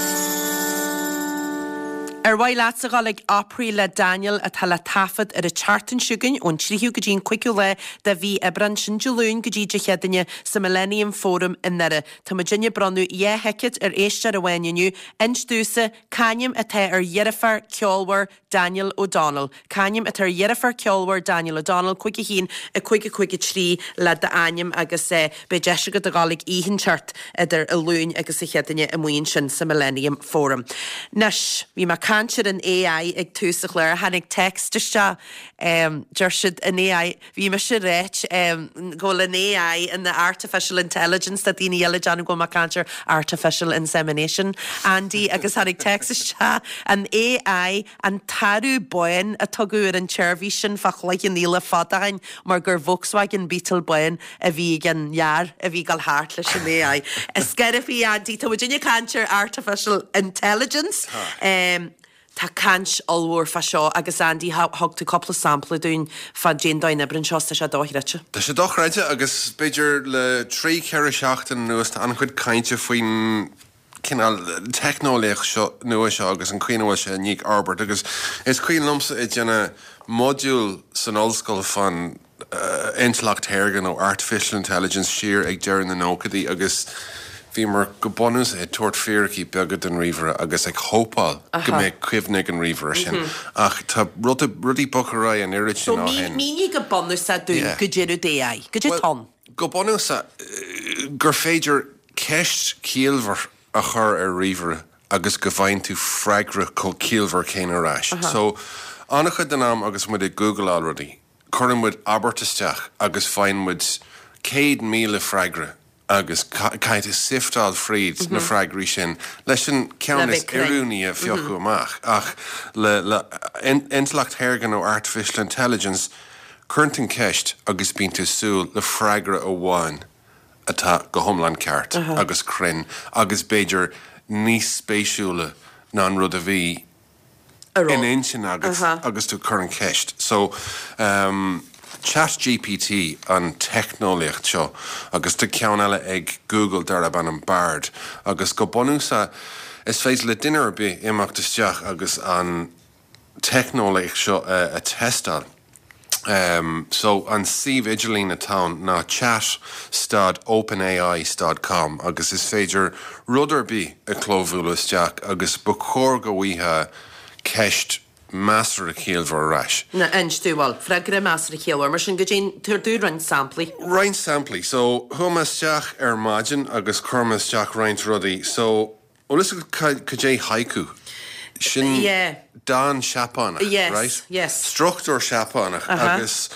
Ar mhaith leatsa dhul ag Opry le Daniel atá le taifead ar an tseachtain seo chugainn ón tríú go dtí an cúigiú lá de mhí Aibreán, sin Dé Luain go dtí Dé Céadaoine sa Millennium Forum i nDoire. Tá muidinne ag bronnadh dhá thicéad ar éisteoir amháin inniu. Inis domhsa c'ainm atá ar dheirfiúr ceolmhar Daniel O'Donnell. C'ainm atá ar dheirfiúr ceolmhar Daniel O'Donnell, cúig a haon, a cúig a cúig a trí le d'ainm agus beidh deis agat a dhul ag oíche inteacht idir an Luain agus an Chéadaoine amuigh ansin sa Millennium Forum. Anois, bhí mé ag caint ar an AI ag tús an chláir, tháinig text isteach, deir siad an AI, bhí mise ag ráit go bhfuil an AI ina artificial intelligence, tá daoine eile ag déanamh go bhfuil mé ag caint ar artificial insemination, Andy, agus tháinig text isteach, an AI, an Tarbh Bán a tugadh ar an tseirbhís sin fá Chloich Cheann Fhaola fada ó shin mar gur Volkswagen Beetle bán a bhí ag an fhear a bhí ag dul thart leis an AI. Is scairbh í Andy, tá muidinne ag caint ar artificial intelligence. Tá. Tá caint ollmhór fá seo agus Andy thug tú cúpla sampla dúinn fá cén dóigh a n-oibríonn seo, tá sé dochreidte. Tá sé dochreidte agus b'fhéidir le trí, ceithre seachtain anuas tá an-chuid cainte faoin cineál teicneolaíocht seo nua seo agus an chaoi ina bhfuil sé i ndiaidh fhorbairt agus is cuimhin liomsa ag déanamh modúl san ollscoil fán intleacht shaorga nó artificial intelligence siar ag deireadh na nóchaidí agus bhíomar go bunúsach ag tabhairt fíricí beaga don ríomhaire agus ag hópáil go mbeadh cuimhne ag an ríomhaire sin ach tá rudaí bogtha ar aghaidh an oiread sin ó shin. So mínigh go bunúsach dúinn goidé rud AI, goidé atá ann. Go bunúsach gur féidir ceist chiallmhar a chur ar ríomhaire agus go bhfaigheann tú freagra chomh ciallmhar céanna ar ais. So, an-chuid den am agus muid ag googleáil rudaí, cuireann muid abairt isteach agus faigheann muid céad míle freagra agus caithfidh tú sifteáil fríd na freagraí sin leis an ceann is oiriúnaí a phiocadh amach. Ach le le intleacht shaorga nó artificial intelligence, cuireann tú an ceist agus bíonn tú ag súil le freagra amháin. atá go hiomlán ceart agus cruinn agus b'fhéidir níos spéisiúla ná an rud a bhí in intinn agat agus tú ag cur an cheist. So, um, ChatGPT an teicneolaíocht seo agus tá ceann eile ag Google darb ainm Bard agus go bunúsach is féidir le duine ar bith imeacht isteach agus an teicneolaíocht seo a tástáil. So, an suíomh idirlín atá ann ná chat stad openai stad com agus is féidir rud ar bith a chlóbhualadh isteach agus ba chóir go bhfaighfeá ceist measartha ciallmhar ar ais. Ná inis dúinn, bhuel, freagra measartha ciallmhar, mar sin goidé, tabhair dúinn roinnt samplaí. Roinnt samplaí. So, chuaigh mé isteach ar maidin agus chuir mé isteach roinnt rudaí. So, bhfuil fhios agat cad é haiku? Sin Yeah. dán Seapánach, Yes, right? yes. Struchtúr Seapánach Aha. agus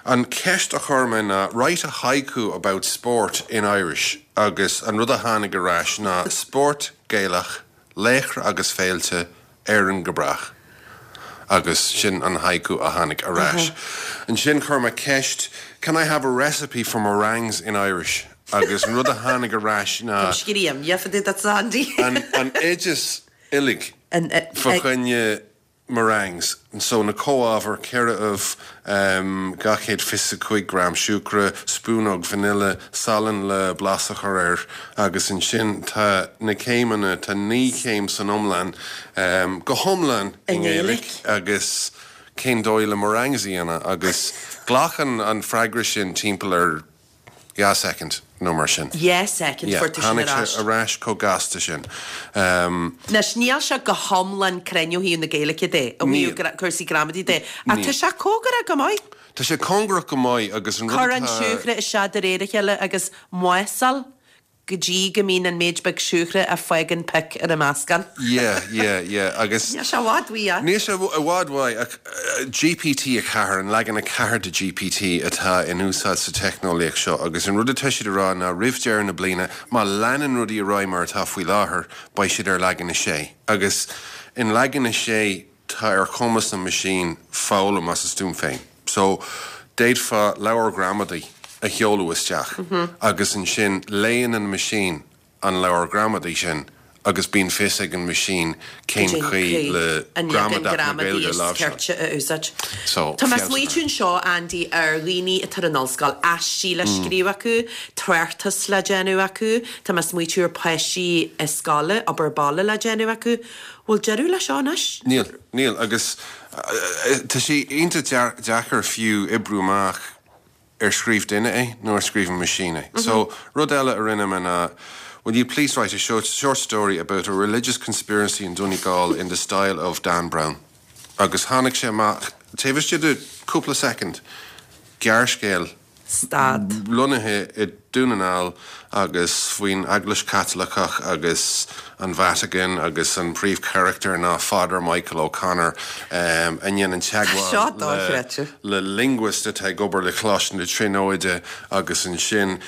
An ceist a chuir mé ná write a haiku about sport in Irish agus an rud a tháinig ar ais ná spórt Gaelach, laochra agus féilte, Éireann go brách. Agus sin an haiku a tháinig ar ais. Ansin chuir mé ceist, can I have a recipe for meringues in Irish? Agus an rud a tháinig ar ais ná Scríam, yeah, that's Andy. an, an oideas uilig An- eh, fa eh, choinne meringues. So na comhábhair ceithre ubh um, dhá chéad fiche cúig gram siúcra, spúnóg vanilla, salann le blas a chur air agus ansin tá na céimeanna tá naoi céim san iomlán um, go hiomlán I i nGaeilge nGaeilge. agus cén dóigh le meringues a dhéanamh agus glacann an freagra sin timpeall ar dhá second nó mar sin. Dhá second Yeah, fuair tú sin tháinig ar sé ais. ar ais chomh gasta sin. Um, Anois níl sé go hiomlán cruinn ó thaobh na Gaeilge de, ó Níl. thaobh cúrsaí gramadaí de. Ach Níl. tá sé cóngarach go maith. Tá sé cóngarach go maith agus an rud Cuir an atá- siúcra isteach de réir a chéile agus maosáil go dtí go mbíonn an méid beag siúcra a fágann pic ar an meascán. Yeah, yeah, yeah agus Níl sé i bhfad uaidh, yeah. Níl sé i bhfad uaidh ach, eh, GPT a ceathair an leagan a ceathair de GPT atá in úsáid sa teicneolaíocht seo agus an rud atá siad a rá ná roimh deireadh na bliana má leanann rudaí ar aghaidh mar atá faoi láthair beidh siad ar leagan a sé. Agus in leagan a sé tá ar chumas an machine foghlaim as a stuaim féin. So d'fhéadfá leabhar gramadaí a sheoladh isteach agus ansin léann an machine an leabhar gramadaí sin agus bíonn fios ag an machine cén chaoi le an leagan gramadach na gramadaí Gaeilge is láimhseáil. ceirte a úsáid. So, Tá mé feabhas smaointiú anseo Andy ar dhaoine atá ar an ollscoil aistí le Mm. scríobh acu, tráchtas le déanamh acu, Tá mé smaointiú ar páistí i scoil obair bhaile le déanamh acu. Bhfuil deireadh leis seo anois? Níl, níl agus uh, tá sé iontach deacair fiú oibriú amach ar scríobh duine é nó ar scríobh an machine é. So rud eile a rinne mé ná Will you please write a short, short story about a religious conspiracy in Donegal in the style of Dan Brown? Agus tháinig sé amach taobh istigh de cúpla second gearrscéal Stad. lonnaithe i Dún na nGall agus faoin Eaglais Chaitliceach agus an Vatican agus an príomhcharachtar ná Father Michael O'Connor um, a ndéanann Seo teagmháil dochreidte. le, le linguist atá ag obair le Coláiste na Tríonóide agus ansin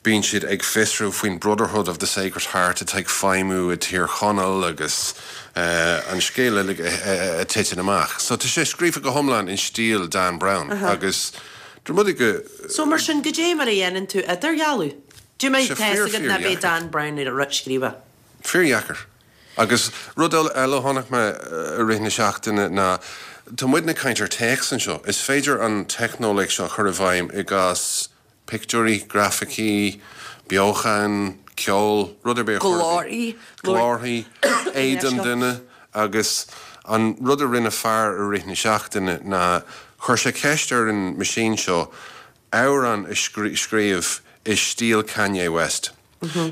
bíonn siad ag fiosrú faoin Brotherhood of the Sacred Heart atá ag feidhmiú i Tír Chonaill agus uh, an scéal uilig a titeann amach. So tá sé scríofa go hiomlán in stíl Dan Brown uh -huh. agus Dr go So mar sin go dé mar a dhéanann tú idirdhealú. Dú mé Sé fíor, na fíor bé dheacair. Dan Brown ar a scríofa. Fíordheacair. Agus rud eile a chonaic mé i rith na seachtaine ná Tá muidne ag caint ar téacs anseo. Is féidir an teicneolaíocht seo chur i bhfeidhm i gcás pictiúirí, grafaicí, beochan, ceol, rud ar bith a chur i Glórthaí. Glórthaí, éadan duine agus an rud a rinne fear i rith na seachtaine ná chuir sé ceist ar an machine seo amhrán a scrí- scríobh i stíl Kanye West.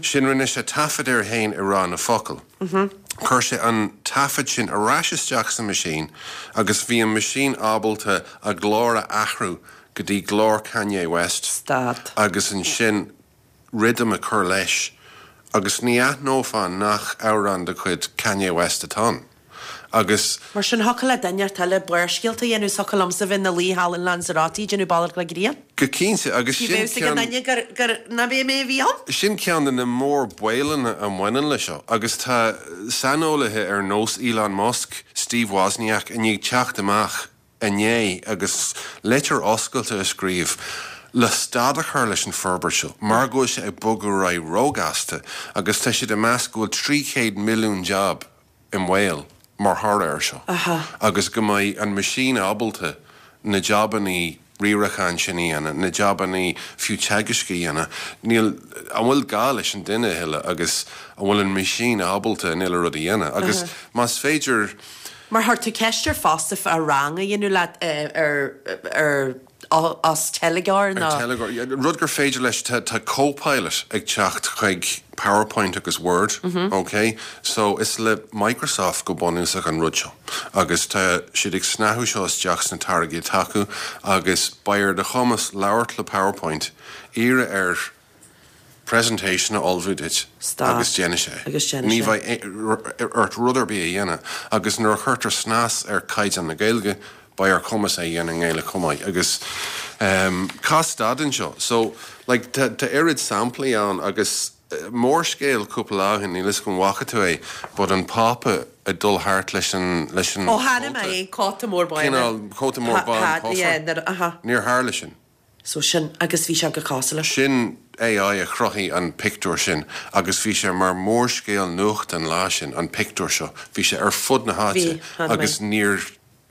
Sin rinne sé taifead air féin ag rá na focail. Chuir sé an taifead sin ar ais isteach sa machine agus bhí an machine ábalta a ghlór a athrú go dtí glór Kanye West Stad. agus ansin rithim a chur leis agus ní aithneofá nach amhrán de chuid Kanye West atá ann. Agus Mar sin thiocfadh le duine eile barrscéalta a dhéanamh thiocfadh liomsa bheith ina luí thall in Lanzarote déanamh bealach le grian. go cinnte agus Ní sin bheadh ag an ceann- duine gur gur ná bé mé a bhí ann? Sin ceann de na mórbaolanna a bhaineann le seo, agus tá saineolaithe ar nós Elon Musk, Steve Wozniak i ndiaidh teacht amach inné agus litir oscailte a scríobh le stad a chur leis an forbairt seo, mar go bhfuil sé ag bogadh ar aghaidh róghasta agus tá siad ag meas go bhfuil trí chéad milliún job i mbaol mar thoradh air seo. Agus go mbeidh an machine ábalta na jabannaí riaracháin sin a dhéanamh, na jabannaí fiú teagaisc a dhéanamh, níl an bhfuil gá leis an duine a thuilleadh agus an bhfuil an machine ábalta an uile rud a dhéanamh. Agus más féidir Mar chuir tú ceist air fosta a rang a dhéanamh leat eh, ar ar as teilgeoir Ar nó teilgeoir, yeah, rud gur féidir leis tá tá Copilot ag teacht chuig PowerPoint agus Word, okay? So is le Microsoft go bunúsach an rud seo. Agus tá siad ag snáthú seo isteach sna táirgí atá acu agus beidh ar do chumas labhairt le PowerPoint iarraidh air presentation a ullmhú duit Stad. agus déanfaidh sé. Agus déanfaidh Ní sé. bheidh ort rud ar bith a dhéanamh, agus nuair a chuirtear snas ar chaighdeán na Gaeilge, beidh ar cumas é a dhéanamh i nGaeilge chomh maith agus um, cas stad anseo. So like, tá tá oiread samplaí ann agus eh, mórscéal cúpla lá ó shin, níl a fhios agam an bhfaca tú é, but an Pápa ag dul thart leis an leis an Ó chonaic mé é, cóta mór bán. Cineál cóta mór bán cófra. Aha. Níor tharla sin. So sin agus bhí sé go cosúil leis. Sin AI a chruthaigh an pictiúr sin agus bhí sé mar mórscéal nuachta an lá sin an pictiúr seo. Bhí sé ar fud na háite Bhí, chonaic mé. agus níor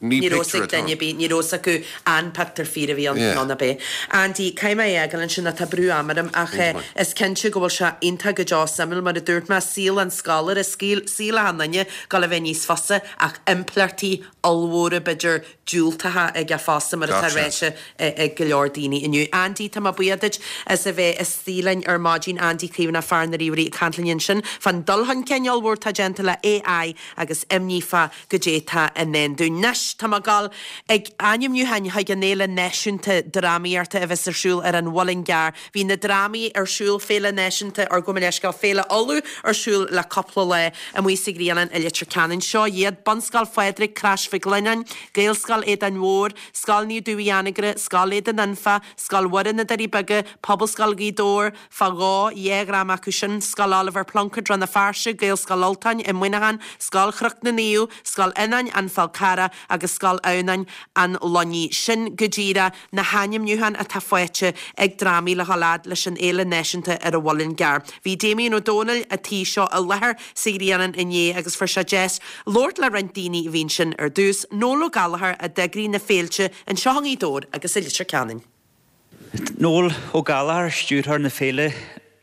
ní Ní raibh pictiúr ag duine bí, ní raibh acu an pictiúr fíor a bhí ann Yeah. ná na bé. Andy, caithfidh mé é fhágáil ansin tá brú ama orm ach eh, is cinnte go bhfuil sé iontach go deo suimiúil mar a dúirt mé saol an scoláire saol an duine go le bheith níos fusa ach impleachtaí ollmhóra b'fhéidir diúltacha aige fosta mar atá Gach seans. ráite ag go leor daoine inniu. Andy tá mé buíoch duit as a bheith istigh linn ar maidin Andy Caomhánach fear na ríomhairí ag caint linn ansin fan dul chun cinn ollmhór tá déanta le AI agus imní fá goidé atá i ndán dúinn. Anois tá mé ag dul ag ainmniúcháin chuig an Fhéile Náisiúnta Drámaíochta a bheas ar siúl ar an Mhuileann gCearr. Bhí na drámaí ar siúl Féile Náisiúnta ar go leisceá Féile Uladh ar siúl le cúpla lá amuigh sa Ghrianán i Leitir Ceanainn seo iad Bunscoil Phádraig Crois Mhic Lionnáin, Gaelscoil Aodáin Mhóir, Scoil Naomh Dubh Uí Anagaire, Scoil Aodan Anfa, Scoil Mhuire na Doirí Beaga, Pobalscoil Ghaoth Dobhair, fá dhó dhá dhráma acu sin, Scoil Oliver Plunkett Rann na Feirste, Gaelscoil Ultáin i Muineachán, Scoil Chnoc na Naomh, Scoil Fhionáin an Fál Carrach agus Scoil Adhamhnáin an Luinnigh. Sin go díreach na hainmniúcháin atá faighte ag drámaí le haghaidh leis an Fhéile Náisiúnta ar an Mhuileann gCearr. Bhí Damien Ó Dónaill a tí seo i láthair sa Ghrianán inné agus fuair sé deis labhairt le roinnt daoine a bhí ansin ar dtús, Noel Ó Gallchóir a d'eagraigh na féilte anseo i nGaoth Dobhair agus i Leitir Ceanainn. Noel Ó Gallchóir stiúrthóir na féile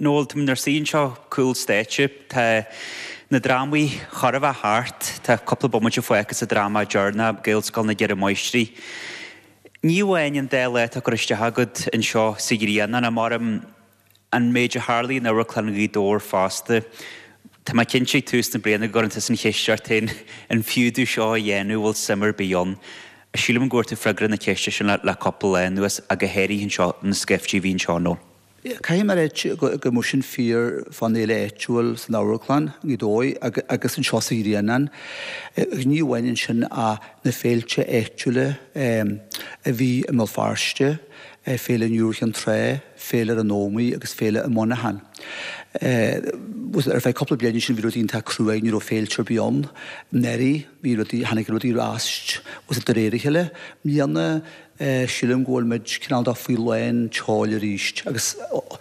Noel tá ar sí seo cúl stáitse tá na drámaí chóir a bheith thart tá cúpla bomaite fágtha sa dráma deireanach Gaelscoil na gCeithre Máistrí. Ní amháin an dá lá atá curtha isteach agat anseo sa Ghrianán mar an méid a tharla in Amharclann Ghaoth Dobhair fosta. Tá mé cinnte ag tús na bliana go gcuireann an cheist ort féin an fiú domh seo a dhéanamh bhfuil suim ar bith ann. Sílim go bhfuair tú freagra na ceiste sin le le cúpla lá anuas go háirithe anseo na scaifte a bhí anseo nó. Caithfidh mé a rá go mó sin fíor fan éile áitiúil san amharclann i dóigh agus anseo sa Ghrianán. Ní bhaineann sin a na féilte áitiúla a bhí i mBéal Feirste, féile Nua Chinn Trá, féile an Ómaigh agus féile i Muineachán. Ar feadh cúpla bliain sin bhí rudaí iontach crua ní raibh féilte ar bith ann. Anuraidh bhí rudaí tháinig rudaí ar ais de réir a chéile. Mbliana sílim go bhfuil muid cineál de faoi lán tseoil arís agus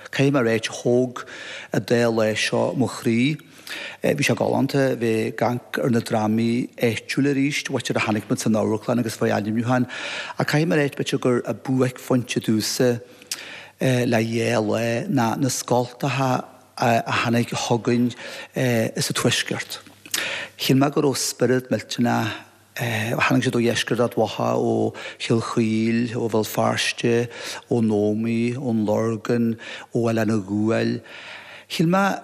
caithfidh mé a rá thóg an dá lá seo mo chroí. Bhí sé galánta bheith ag amharc ar na drámaí áitiúla arís, bhaitir a tháinig muid san amharclann agus faoi ainmniúcháin. A caithfidh mé a rá b'fhéidir gur a buaicphointe domhsa le dhá lá ná na scoltacha a tháinig chugainn sa tuaisceart. Shíl mé go raibh spiorad millteanach tháinig siad ó dheisceart Ard Mhacha ó Chill Chaoil, ó Bhéal Feirste, ón Ómaigh, ón Lorgain, ó Oileán an Ghuail. Shíl mé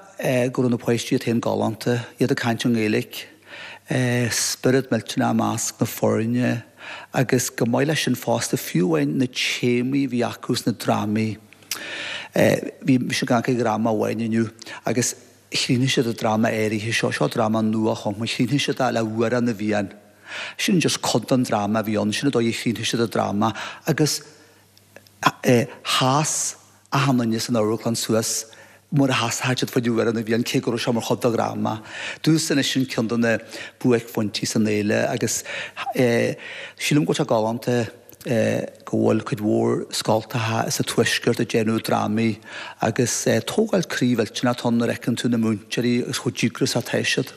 go raibh na páistí iad féin galánta, iad ag caint an Ghaeilge, spiorad millteanach i measc na foirne, agus go maith leis sin fosta fiú amháin na téamaí a bhí acu sna drámaí. Bhí mise ag amharc ar dhráma amháin inniu agus chríochnaigh siad an dráma áirithe seo, seo dráma nua-chumtha, chríochnaigh siad é le hAmhrán na bhFiann. Sin just cuid den dráma a bhí ann, sin an dóigh a chríochnaigh siad an dráma agus sheas achan duine san amharclann suas mar a sheasfadh siad faoi Amhrán na bhFiann cé go raibh sé mar chuid de dhráma. Domhsa anois sin ceann de na buaicphointí san fhéile agus sílim go bhfuil sé galánta go bhfuil cuid mhór scoltacha sa tuaisceart ag déanamh drámaí agus tógáil croí mhillteanach atá ann nuair a fheiceann tú na múinteoirí agus chomh díograiseach atá siad.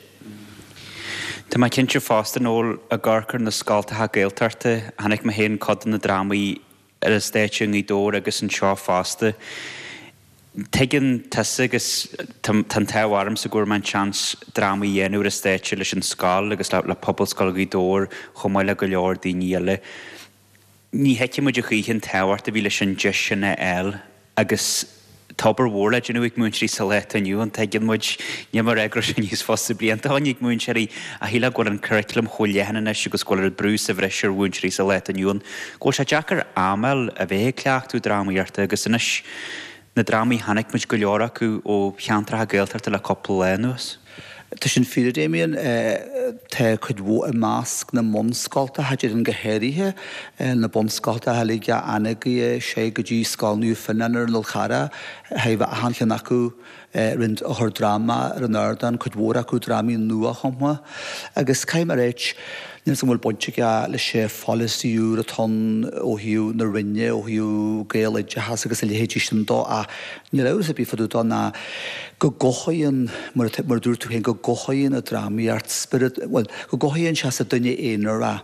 Tá mé cinnte fosta Noel ag amharc ar na scoltacha Gaeltachta, chonaic mé féin cuid de na drámaí ar an stáitse i nGaoth Dobhair agus anseo fosta. Tuigeann tusa agus tá an t-ádh ormsa go bhfuair mé an seans drámaí a dhéanamh ar an stáitse leis an scoil agus le, le Pobalscoil Ghaoth Dobhair chomh maith le go leor daoine eile. Ní thuigfidh muid a choíche an tábhacht a bhí leis an deis sin a fháil agus tá obair mhór le déanamh ag múinteoirí sa lá atá inniu ann tuigeann muid ní mar go raibh sé níos fusa blianta ó shin ag múinteoirí a shíl go bhfuil an curriculum chomh leathan anois agus go bhfuil an brú sa bhreis ar mhúinteoirí sa lá atá inniu ann. Go bhfuil sé deacair am a fháil a bheith ag cleachtadh drámaíochta agus anois na drámaí chonaic muid go leor acu ó cheantracha Gaeltachta le cúpla lá anuas. Tá sin fíor, a Damien. Tá cuid mhór i measc na mbunscoltacha, déarfainn go háirithe, na bunscoltacha uilig ó Anagaire sé go dtí Scoil Naomh Fionnán ar an Fhál Charrach, thaobh achan cheann acu roinnt ag cur dráma ar an ardán, cuid mhór acu drámaí nuachumtha. Agus caithfidh mé a ráit, Níl 's agam an bhfuil baint aige leis an pholasaí úr atá ann ó thaobh na Roinne, ó thaobh Gaeloideachas agus a leithéidí sin dó ach níl amhras ar bith fá dtaobh dó ná go gcothaíonn, mar a dúirt tú féin, go gcothaíonn an drámaíocht spiorad, bhuel, go gcothaíonn sé sa duine aonair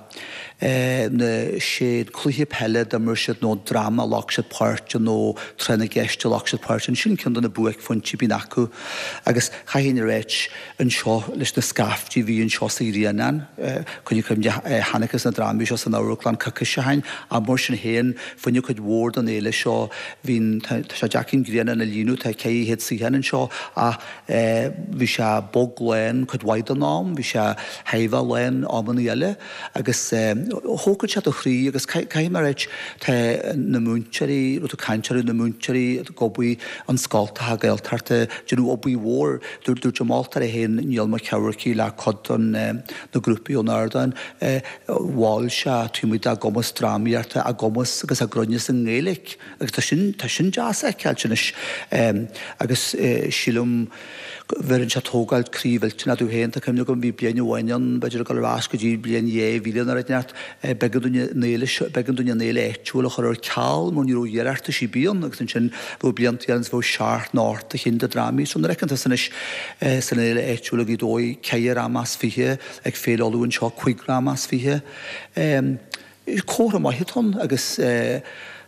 é. Na, sé an cluiche peile a d'imir siad nó an dráma a ghlac siad páirt ann nó tráth na gceist a ghlac siad páirt ann, sin ceann de na buaicphointí a bhíonn acu agus chaithfinn a ráit anseo leis na scaiftí a bhí anseo sa Ghrianán, coinnigh cuimhne, chonacthas na drámaí seo san amharclann coicís ó shin, ach mar sin féin, fá choinne cuid mhór den fhéile seo, bhí, tá sé deacair an Grianán a líonadh, tá ceithre chéad suíochán anseo, ach bhí sé bog lán cuid mhaith den am, bhí sé thar a bheith lán amannaí eile, agus thógann sé do chroí agus caithfidh mé a ráit, tá na múinteoirí, raibh tú ag caint orthu, na múinteoirí ag obair an scoltacha Gaeltachta, déanamh obair mhór. Dúirt dúirt an moltóir é féin, Niall Mac Eamharcaigh le cuid den na grúpaí ón ardán, mhol sé taobh amuigh dá gcumas drámaíochta, a gcumas agus a gcruinneas i nGaeilge agus tá sin tá sin deas a fheiceáilt anois agus sílim go bheireann sé tógáil croí mhillteanach domh féin. Tá cuimhne agam bhí bliain amháin ann, b'fhéidir ag dul ar ais go dtí bliain dhá mhíle nó rud inteacht, b'éigean dúinn an fhéile seo, b'éigean dúinn an fhéile áitiúil a chur ar ceal mar ní raibh iarratais ar bith ann agus ansin bheadh blianta eile ann is bheadh seacht nó ocht a chinn de drámaí. So nuair a fheiceann tusa anois san fhéile áitiúil i Gaoth Dobhair ceithre dhráma as fiche, ag Féile Uladh anseo cúig dhráma as fiche. Comhartha maith atá ann agus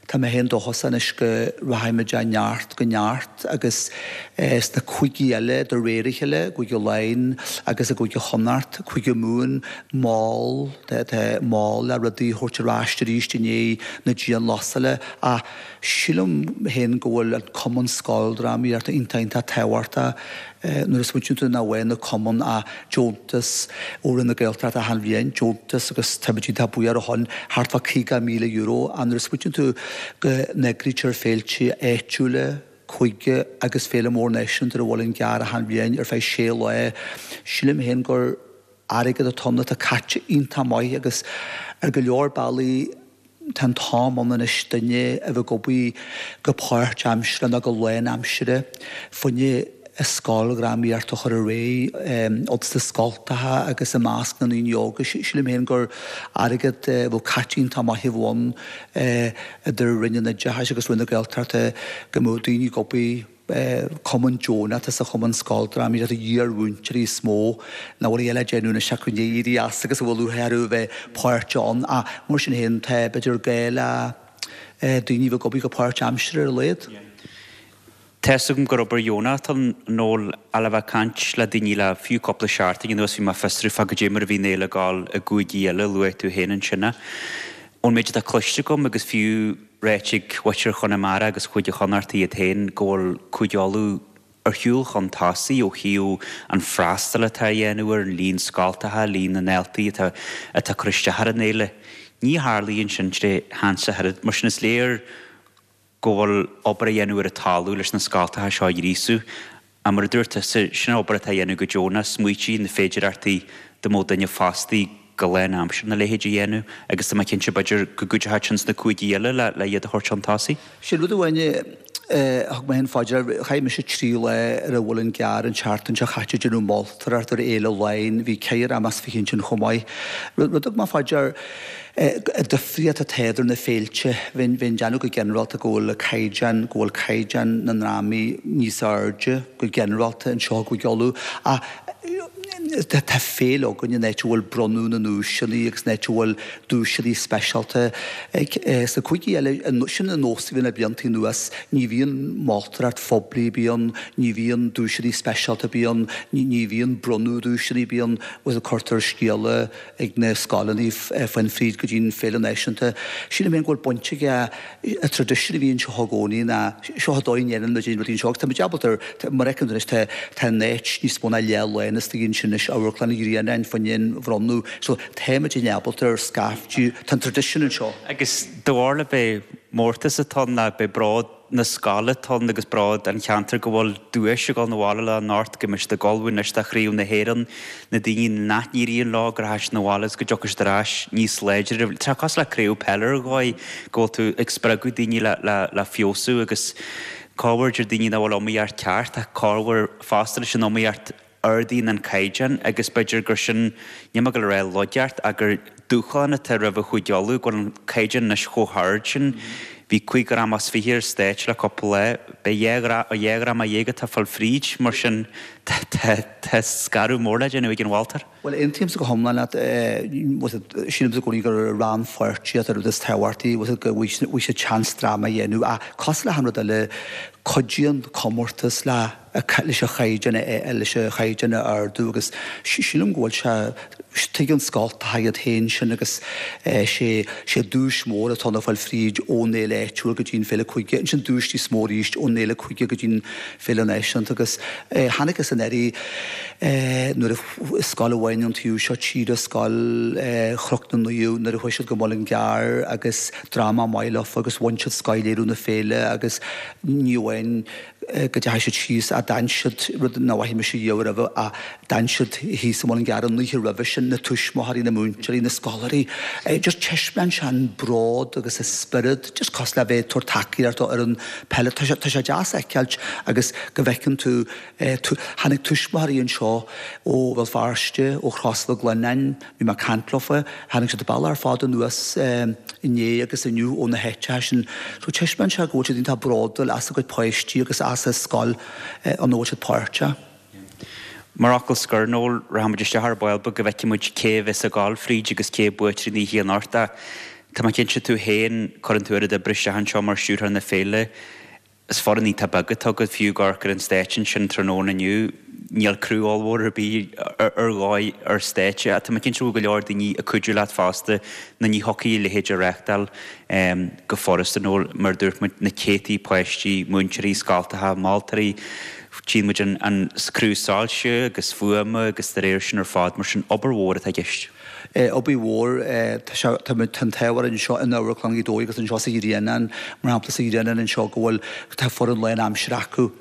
tá mé féin dóchasach anois go rachaimid ó neart go neart agus sna cúigí eile de réir a chéile, i gCúige Laighean agus i gCúige Chonnacht, Cúige Mumhan, mall, tá mall le rudaí a thabhairt ar ais arís i ndiaidh na dianghlasála ach sílim féin go bhfuil an Cumann Scoildrámaíochta iontach iontach tábhachtach nuair a smaoiníonn tú nach bhfaigheann na cumainn ach deontas ó Roinn na Gaeltachta achan bhliain, deontas agus táimid iontach buíoch ar a shon, thart fá caoga míle euro, ach nuair a smaoiníonn tú go n-eagraítear féilte áitiúla, cúige agus féile mór náisiúnta ar an Mhuileann gCearr achan bhliain ar feadh sé lá, sílim féin gur airgead atá ann atá caite iontach maith agus ar go leor bealaí, Tá an t-am ann anois duine a bheith ag obair go páirtaimseartha nó go lánaimseartha fá choinne an scoildhrámaíocht a chur ar aghaidh ins na scoltacha agus i measc na ndaoine óga. Sílim féin gur airgead a bheadh caite iontach maith a bheadh ann idir Roinn an Oideachais agus Roinn na Gaeltachta go mbeadh daoine ag obair cumann deonach atá sa Chumann Scoildrámaíochta iar-mhúinteoirí is mó nach bhfuil a dhath le déanamh anois acu i ndiaidh éirí as agus a bhfuil lúcháir orthu a bheith páirteach ann ach mar sin féin tá b'fhéidir gá le daoine a bheith ag obair go páirtaimseartha ar a laghad. Tá 'fhios agam gur obair dheonach atá ann Noel ach le bheith ag caint le daoine le fiú cúpla seachtain anuas bhí mé ag fiosrú fá goidé mar a bhí an fhéile ag gabháil i gcúigí eile, luaigh tú féin ansin é. Ón méid atá cloiste agam agus fiú ráite ag muintir Chonamara agus Chúige Chonnacht iad féin go bhfuil Cúige Uladh ar shiúl chun tosaigh ó thaobh an freastal atá á dhéanamh ar an líon scoltacha, líon na ndaltaí atá atá ag cur isteach ar an fhéile. Ní tharlaíonn sin tré sheans ach oiread. Mar sin is léir go bhfuil obair á dhéanamh ar an talamh leis na scoltacha seo a ghríosú. Ach mar a dúirt tusa, sin obair atá á dhéanamh go deonach, smaoitigh na féidireachtaí dá mbeadh duine fostaí go lánaimseartha na leithéid a dhéanamh agus tá mé cinnte b'fhéidir go gcuideochadh sin sna cúigí eile le le iad a thabhairt chun tosaigh. Sin rud amháin a thug mé féin fá dear, chaith mise trí lá ar an Mhuileann gCearr an tseachtain seo chaite ag déanamh moltóireacht ar Fhéile Laighean, bhí ceithre dhráma as fiche ansin chomh maith. Rud a thug mé fá dear, an difríocht atá idir na féilte, bheinn ag déanamh go ginearálta go bhfuil caighdeán, go bhfuil caighdeán na ndrámaí níos airde go ginearálta anseo i gCúige Uladh ach tá féile againn in áit a bhfuil bronnadh na nduaiseanna agus in áit a bhfuil duaiseanna speisialta. Sna cúigí eile, sin an nós a bhíonn le blianta anuas, ní bhíonn moltóireacht phoiblí ar bith ann, ní bhíonn duaiseanna speisialta ar bith ann, ní bhíonn bronnadh duaiseanna ar bith ann, bhuel cuirtear scéala ag na scoileanna fán fríd go dtí an Féile Náisiúnta. Sílim féin go bhfuil baint aige an traidisiún a bhí anseo i gcónaí ná seo an dóigh a ndéanann muid rudaí anseo agus tá muid ábalta ar, mar a fheiceann tú anois tá tá an áit níos mó ná leath lán istigh ansin anois, Amharclann an Ghrianáin fá choinne an bhronnadh so tá muid ábalta ar scaifte, tá an traidisiún anseo. Agus de bharr le b'é mórtas atá ann ná b'é bród na scoile atá ann agus bród an cheantair go bhfuil duais ag dul 'na bhaile leo anocht, go mbeidh siad ag ullmhú anois do Chraobh na hÉireann, na daoine nach n-éiríonn leo go rachaidh siad 'na bhaile agus go dtiocfaidh siad ar ais níos láidre. Tá sé cosúil le craobh peile ar dhóigh go bhfuil tú ag spreagadh daoine le le le feabhsú agus corruair deir daoine nach bhfuil iomaíocht ceart ach corruair fosta leis an iomaíocht ardaíonn an caighdeán agus b'fhéidir gur sin, níl mé ag dul a rá laigeacht ach gur dúshlán atá roimh Chúige Uladh, go bhfuil an caighdeán anois chomh hard sin. Bhí cúig dhráma is fiche ar stáitse le cúpla lá, beidh dhá dhráma dhéag atá ag fáil fríd, mar sin tá scaradh mór le déanamh ag an mholtóir. Bhuel, aontaímse go hiomlán leat. Sílimse i gcónaí gur rannpháirtíocht an rud is tábhachtaí, go bhfaighidh siad seans dráma a dhéanamh. Ach cosúil le haon rud eile, cuidíonn comórtas le leis an chaighdeán leis an chaighdeán a ardú agus sílim go bhfuil sé tuigeann scoltacha iad féin sin agus sé sé duais mór atá ann a fáil fríd ón fhéile áitiúil go dtí an féile cúige, ansin duais níos mó arís ón fhéile cúige go dtí an féile náisiúnta agus chonaiceas anuraidh nuair a scoil amháin ón taobh seo tíre, Scoil Chnoc na Naomh, nuair a chuaigh siad go Muileann gCearr agus dráma maith leofa agus bhain siad scothléiriú na féile agus ní amháin go dteachaigh siad síos ach d'fhan siad, rud nach bhfaca mise riamh roimhe, ach d'fhan siad thíos i Muileann gCearr an oíche roimhe sin, na tuismitheoirí, na múinteoirí, na scoláirí. Just taispeánann sé an bród agus an spiorad, just cosúil le bheith ag tabhairt tacaíocht do fhoireann peile. Tá sé, tá sé deas a fheiceáilt agus go bhfeiceann tú, tháinig tuismitheoirí anseo ó Bhéal Feirste, ó Chros Mhic Lionnáin, bhí mé ag caint leofa, tháinig siad an bealach ar fad anuas inné agus inniu ó na háiteacha sin. So taispeánann sé go bhfuil siad iontach bródúil as a gcuid páistí agus as an scoil ina bhfuil siad páirteach. Mar fhocal scoir, Noel, rachaimid isteach ar ball beag go bhfeicfidh muid cé a bheas ag gabháil fríd agus cé buaiteoirí na hoíche anocht ach tá mé cinnte tú féin, cuireann tú oiread oibre isteach anseo mar stiúrthóir na féile, Is foireann iontach beag atá agat, fiú ag amharc ar an stáitse ansin tráthnóna inniu, níl criú ollmhór ar bith ar dhóigh ar stáitse ach tá mé cinnte go bhfuil go leor daoine ag cuidiú leat fosta nó ní thiocfadh a leithéid a reáchtáil go furasta nó mar a dúirt muid, na céadtaí páistí, múinteoirí, scoltacha, moltóirí, tchíonn muid an criú soilse agus fuaime agus dá réir sin ar fad, mar sin obair mhór atá i gceist. Obair mhór, tá sé, tá muid, tá an t-ádh orainn anseo in Amharclann Ghaoth Dobhair agus anseo sa Ghrianán, mar shampla sa Ghrianán anseo go bhfuil, tá foireann lán-aimsire acu.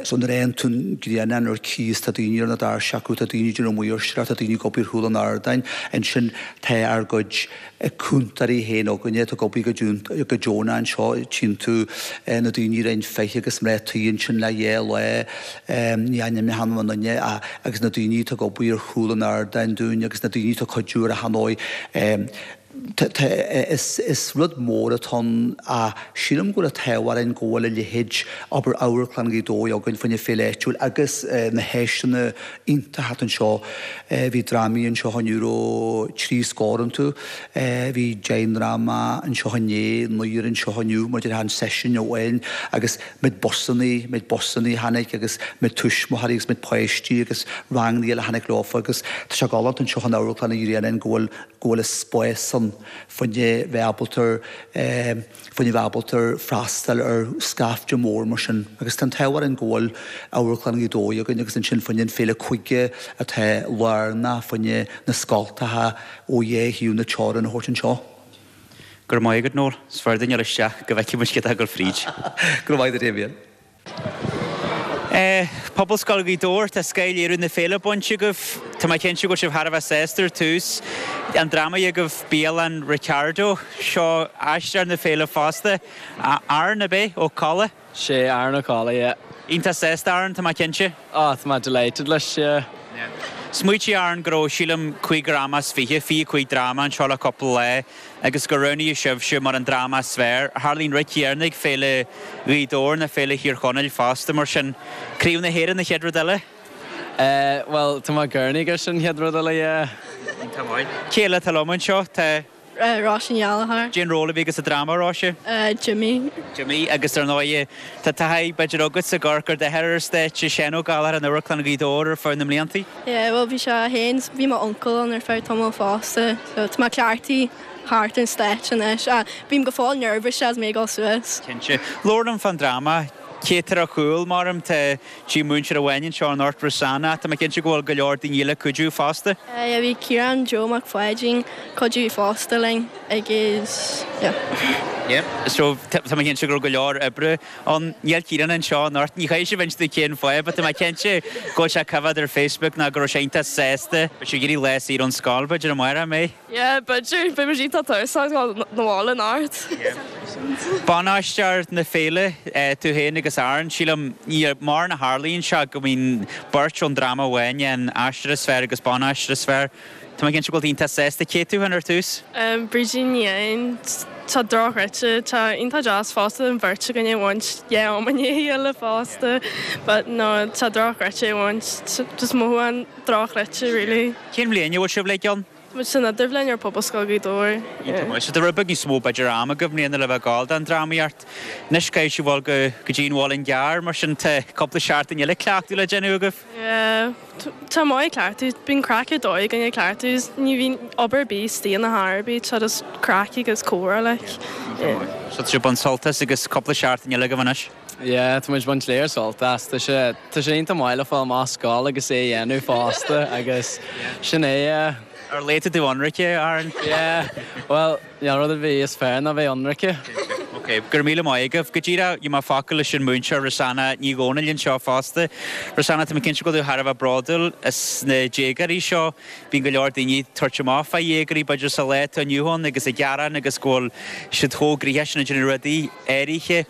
So nuair a fhaigheann tú an Grianán ar cíos tá daoine ar na doirse acu, tá daoine ag déanamh maoirseacht, tá daoine ag obair ar chúl an ardáin. Ansin tá ár gcuid cúntóirí féin againne atá ag obair go go deonach anseo, tchíonn tú na daoine i Roinn fiche agus mná tí ansin le dhá lá, ní ainmneoidh mé aon duine agus na daoine atá ag obair ar chúl an ardáin dúinn agus na daoine atá ag cuidiú ar achan dóigh. Is rud mór atá ann ach sílim go bhfuil an t-ádh orainn go bhfuil a leithéid obair Amharclann Ghaoth Dobhair againn fá choinne féile áitiúil agus na háiseanna iontacha atá anseo. Bhí drámaí anseo inniu raibh trí scór iontu. Bhí deich ndráma anseo inné, naonúr anseo inniu, mar a déarfá an seisiún amháin agus méid busannaí, méid busannaí a tháinig agus méid tuismitheoirí agus méid páistí agus ranganna eile a tháinig leofa agus tá sé galánta anseo in Amharclann an Ghrianáin go bhfuil, go bhfuil an spás ann fá choinne bheith ábalta, fá choinne bheith ábalta freastal ar scaifte mór mar sin agus tá an t-ádh orainn go bhfuil Amharclann Ghaoth Dobhair againn agus ansin fá choinne an Féile Cúige atá lárnach fá choinne na scoltacha ó dhá thaobh na teorann a thabhairt anseo. Go raibh maith agat, Noel. Is fearr dúinn dul isteach go bhfeicfidh muid cé atá ag dul fríd. Go raibh maith agat, a Dhamien. Pobalscoil Ghaoth Dobhair, tá scothléiriú na féile bainte agaibh. Tá mé cinnte go bhfuil sibh thar a bheith sásta ar tús. An dráma agaibh Bialann Ricardo, seo aisteoir na féile fosta, Aaron ab é? Ó Colla? Sé Aaron Ó Colla, yeah. Iontach sásta Aaron, tá mé cinnte. Oh, tá mé delighted leis, yeah. Smaoitigh Aaron go raibh, sílim, cúig dhráma is fiche, fiche cúig dráma anseo le cúpla lá agus gur roghnaíodh sibhse mar an dráma is fearr. Tharla an rud céanna ag Féile Ghaoth Dobhair ná Féile Thír Chonaill fosta, mar sin Craobh na hÉireann an chéad rud eile? Eh, bhuel, tá mé ag urnaí gur sin an chéad rud eile, yeah. Iontach maith. Cé eile atá liom anseo? Tá. Róise Ní Ghallchóir. Cén ról a bhí agat sa dráma, Róise? Jimmy. Jimmy, agus ar ndóigh, tá taithí b'fhéidir agatsa ag amharc ar d'athair ar stáitse, Seán Ó Gallchóir in Amharclann Ghaoth Dobhair ar feadh na mblianta. Yeah, bhuel bhí sé féin, bhí m'uncail ann ar feadh tamall fosta, so tá mé cleachtaithe thart ar an stáitse anois. Ah, bím go fóill nervous as mé ag dul suas. Cinnte. Labhair liom fán dráma. Cé atá ar chúl, mar tá tí múinteoir amháin anseo anocht, Rosanna, ach tá mé cinnte go bhfuil go leor daoine eile ag cuidiú fosta. Yeah, bhí Ciarán Joe Mac Pháidín cuidiú fosta linn agus yeah. Yeah. So tá mé cinnte go raibh go leor oibre ann. Níl Ciarán anseo anocht, ní chaithfidh sibh inse cén fáth, but tá mé cinnte go bhfuil sé ag coimhéad ar Facebook ná go raibh sé iontach sásta. Beidh sé ag iarraidh lá saor ón scoil b'fhéidir amárach, an mbeidh? Yeah, b'fhéidir. Beidh muid iontach tuirseach ag dul 'na bhaile anocht. Ban-aisteoir na féile, tú féin agus Aaron, sílim, ní mórán a tharlaíonn seo go mbíonn beirt ón dráma amháin, an aisteoir is fearr agus ban-aisteoir is fearr. Tá mé cinnte go bhfuil tú iontach sásta. Cé tú féin ar tús? Brídín Ní Eidhin, Tá dochreidte, tá iontach deas fosta an bheirt againn a bhaint dhá am i ndiaidh a chéile fosta but no tá dochreidte a bhaint, just mothúchán dochreidte really. Cén bhliain a bhfuil sibh uilig ann? Tá muid san idirbhliain ar Pobalscoil Ghaoth Dobhair. Iontach maith. So tá rud beag níos mó b'fhéidir ama agaibh i mbliana le bheith ag gabháil don drámaíocht. Anois caithfidh sibh dul go go dtí an Mhuileann gCearr mar sin tá cúpla seachtain eile cleachtadh le déanamh agaibh. Yeah. Tá maith cleachtadh. Bíonn craic ar dóigh againn ag cleachtadh. Ní bhíonn obair ar bith istigh ina chor ar bith. Tá just craic agus comhrá like. Yeah. So tá sibh ag baint sult as agus cúpla seachtain eile agaibh anois. Yeah, tá muid ag baint léar sult as. Tá sé tá sé iontach maith le fáil amach as scoil agus é a dhéanamh fosta agus sin é yeah. Ar laethanta tú ionraice, Aaron? Yeah, bhuel, níl rud ar bith is fearr ná bheith ionraice. Ok, go raibh míle maith agaibh. Go díreach, gheobhaidh mé focal leis an múinteoir Rosanna Ní Dhomhnaill anseo fosta. Rosanna, tá mé cinnte go bhfuil tú thar a bheith bródúil as na déagóirí seo. Bíonn go leor daoine ag tabhairt amach fá dhéagóirí, b'fhéidir sa lá atá inniu ann agus ag gearán agus go bhfuil siad chomh gnoitheach sin ag déanamh rudaí áirithe.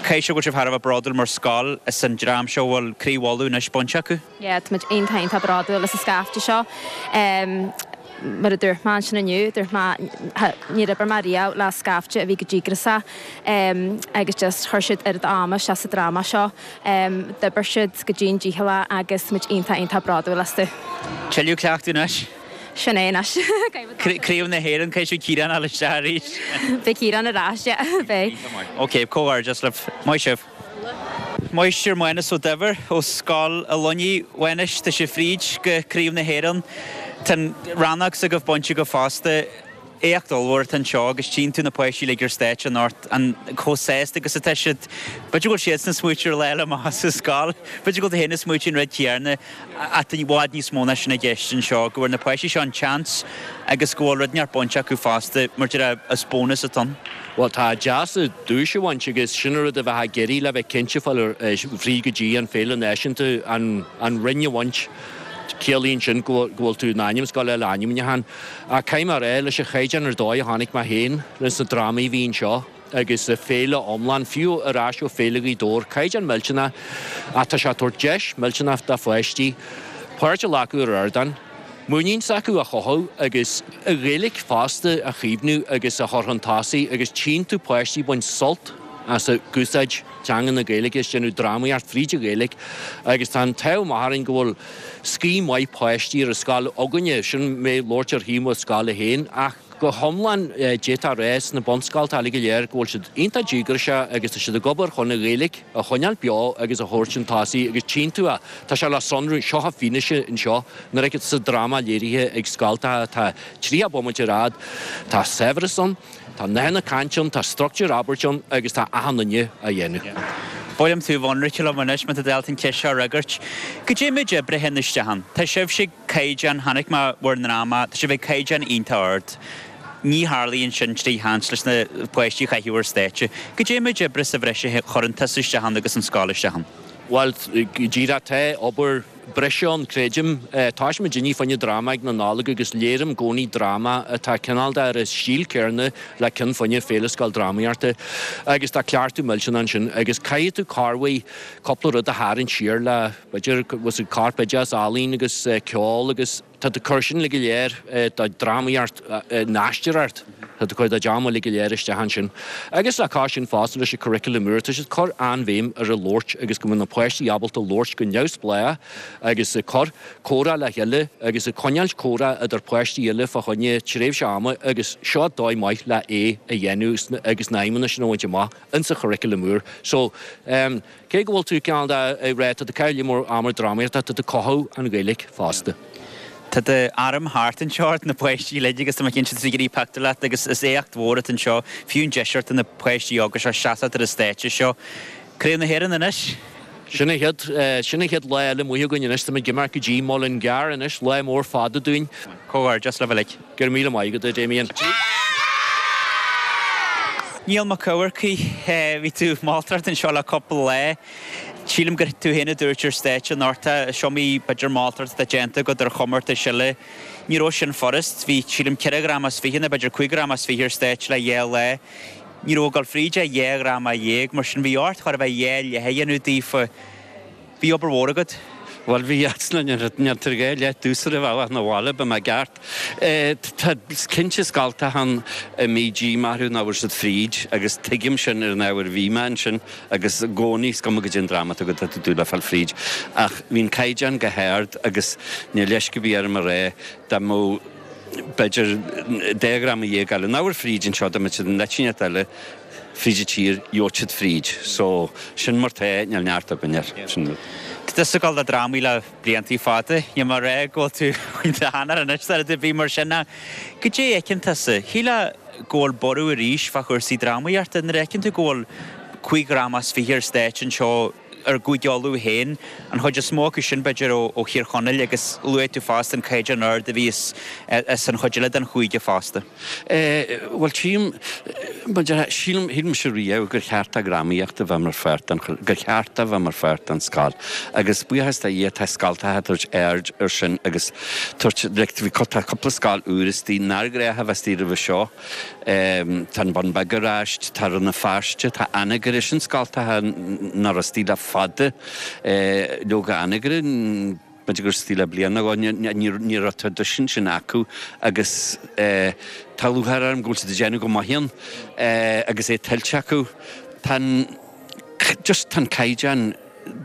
Caithfidh sé go bhfuil sibh thar a bheith bródúil mar scoil as an dream seo a bhfuil Craobh Uladh anois bainte acu. Yeah, tá muid iontach iontach bródúil as an scaifte seo. Mar a dúirt mé ansin inniu, dúirt mé níor oibir mé riamh le scaifte a bhí chomh díograiseach agus just chuir siad oiread ama isteach sa dráma seo. D'oibir siad go dian dícheallach agus muid iontach iontach bródúil astu. Tuilleadh cleachtadh anois? Sin é anois. Craobh na hÉireann, caithfidh Ciarán a fháil isteach arís. Beidh Ciarán ar ais, yeah, beidh. Ok, comhghairdeas libh. Maith sibh. Máistir Mánus Ó Duibhir ó Scoil an Luinnigh. A Mhánais, tá sibh fríd go Craobh na hÉireann. Tá an rannóg s'agaibh bainte agaibh fosta. Éacht ollmhór atá anseo agus tchíonn tú na páistí uilig ar stáitse anocht, an chomh sásta agus atá siad. B'fhéidir go bhfuil siadsan ag smaoitiú ar lá eile amach as an scoil. B'fhéidir go bhfuil tú féin ag smaoitiú an rud céanna ach tá i bhfad níos mó ná sin i gceist anseo, go bhfuair na páistí seo an tseans agus go bhfuil rud inteacht bainte acu fosta, mar déarfá, is bónas atá ann. Bhuel, tá deas duais a bhaint agus sin an rud a bheifeá ag iarraidh le bheith cinnte fáil fríd go dtí an Féile Náisiúnta, an an roinn a bhaint. Ciallaíonn sin go bhfuil tú in ainm is ag gabháil le ainmniúchán. Ach caithfidh mé a rá, leis an chaighdeán ar dóigh a chonaic mé féin leis na drámaí a bhí anseo agus an féile iomlán, fiú ar ais ó Féile Ghaoth Dobhair, caighdeán millteanach ach tá sé ag tabhairt deis millteanach do pháistí páirt a ghlacadh ar ardán, muinín s'acu a chothú agus an Ghaeilge fosta a chaomhnú agus a chur chun tosaigh agus tchíonn tú páistí ag baint sult as ag úsáid teanga na Gaeilge is déanamh drámaíocht fríd an Ghaeilge agus tá an t-ádh maith orainn go bhfuil scoth maith páistí ar an scoil againne, sin mé ag labhairt ar thaobh mo scoile féin ach go hiomlán d'fhéadfá a rá sna bunscoltacha uilig go léir go bhfuil siad iontach díograiseach agus tá siad ag obair chun an Ghaeilge a choinneáil beo agus a thabhairt chun tosaigh agus tchíonn tú é, tá sé le sonrú, seo an fianaise anseo nuair a fheiceann tú sa dráma léirithe ag scoltacha atá tríocha bomaite ar fhad, tá saibhreas ann, tá nathanna cainte ann, tá struchtúr abairte ann agus tá achan duine á dhéanamh. Ba mhaith liom tú a bheith ionraic liom anois má tá tú ábalta an cheist seo a fhreagairt. Goidé méid oibre a théann isteach ann? Tá sibhse ag caighdeán, chonaic mé bhur ndráma, tá sibh ag caighdeán iontach ard. Ní tharlaíonn sin trí sheans leis na páistí a chaitheamh ar stáitse. Goidé méid oibre sa bhreis a chuireann tusa isteach ann agus an scoil isteach ann? Bhuel, go díreach, tá obair breise ann, creidim. Toisíonn muidinne fá choinne dráma ag na Nollag agus léirím i gcónaí dráma atá cineál de ar an stíl céarna le ceann fá choinne Féile Scoil Drámaíochta agus tá cleachtadh millteanach ansin agus caithfidh tú corruair cúpla rud a tharraingt siar le, b'fhéidir, bhfuil corpoideachas, ealaín agus ceol agus. Tá tú ag cur sin uilig go léir, do dhrámaíocht, an aisteoireacht, tá tú ag cur do dream uilig go léir isteach ansin. Agus le cois sin fosta leis an curriculum úr, tá siad ag cur an-bhéim ar an labhairt agus go mbeadh na páistí ábalta labhairt go neamhspleách agus ag cur comhrá le chéile agus ag coinneáilt comhrá idir páistí eile fá choinne tréimhse ama agus seo dóigh maith le é a dhéanamh agus na aidhmeanna sin a bhaint amach insa churriculum úr. So, cé go bhfuil tú cineál de ag rá tá tú ag caitheamh lear mór ama drámaíochta, tá tú ag cothú an Ghaeilge fosta. Tá d'arm thart anseo ort, na páistí uilig agus tá mé cinnte tá siad ag iarraidh pictiúr leat agus is éacht mhór atá anseo, fiú an deis do na páistí óga seo seasamh ar an stáitse seo. Craobh na hÉireann anois! Sin an chéad, sin an chéad lá eile amuigh againn anois, táimid ag imeacht go dtí Muileann gCearr anois, lá mór fada dúinn. Comhghairdeas libh uilig. Go raibh míle maith agat, a Damien. Niall Mac Eamharcaigh, bhí tú ag moltóireacht anseo le cúpla lá. Sílim gur tú féin a dúirt ar stáitse anocht, is iomaí b'fhéidir moltóireacht atá déanta agat ar chomórtais eile. Ní raibh sin furast. Bhí, sílim, ceithre dhráma is fiche nó b'fhéidir cúig dhráma is fiche ar stáitse le dhá lá. Ní raibh ag dul fríd ach dhá dhráma dhéag, mar sin bhí ort chóir a bheith dhá leath a dhéanamh daofa. Bhí obair mhór agat. Bhuel, bhí, níl tar dhá leath dúsar a bhealach 'na bhaile, ba mé gceart. Tá cinnte scoltacha ann a mbí díomá orthu nach bhfuair siad fríd agus tuigim sin ar an ábhar bhí mé ansin agus i gcónaí is cuma goidé an dráma atá agat tá tú ag dúil le fáil fríd. Ach bhí an caighdeán go hard agus níl leisce ar bith orm a rá dá mbeadh b'fhéidir dhá dhráma dhéag eile nach bhfuair fríd anseo dá mbeadh siad in áit inteacht eile fríd an tír, gheobhadh siad fríd. So, sin mar tá, níl neart againn air. Sin rud. Tá tusa ag gabháil do dhrámaí le bliantaí fada. Níl mé ag rá go bhfuil tú faoin tseanfhear anois nó rud ar bith mar sin ach goidé a fheiceann tusa? Shílfeá go bhfuil borradh arís fá chúrsaí drámaíochta nuair a fheiceann tú go bhfuil cúig dhráma is fiche ar stáitse anseo ar gCúige Uladh féin, an chuid is mó acu sin b'fhéidir ó Thír Chonaill agus luaigh tú fosta an caighdeán ard a bhí as an chuid eile den chúige fosta. Bhuel tchím, sílim, shíl mise riamh gur cheart do dhrámaíocht a bheith mar pháirt den, gur cheart a bheith mar pháirt den scoil agus buíochas do Dhia tá scoltacha ag tabhairt aird ar sin agus tabhairt, like bhí tá cúpla scoil úr istigh nár ghnách a bheith istigh roimhe seo. Tá an Bun Beag ar ais, tá Rann na Feirste, tá Anagaire, sin scoltacha nach raibh istigh le fada. Leoga Anagaire, b'fhéidir go raibh istigh le bliain nó dhó, ní raibh traidisiún sin acu agus tá lúcháir orm go bhfuil siad ag déanamh go maith ann agus é tuillte acu. Tá an, just tá an caighdeán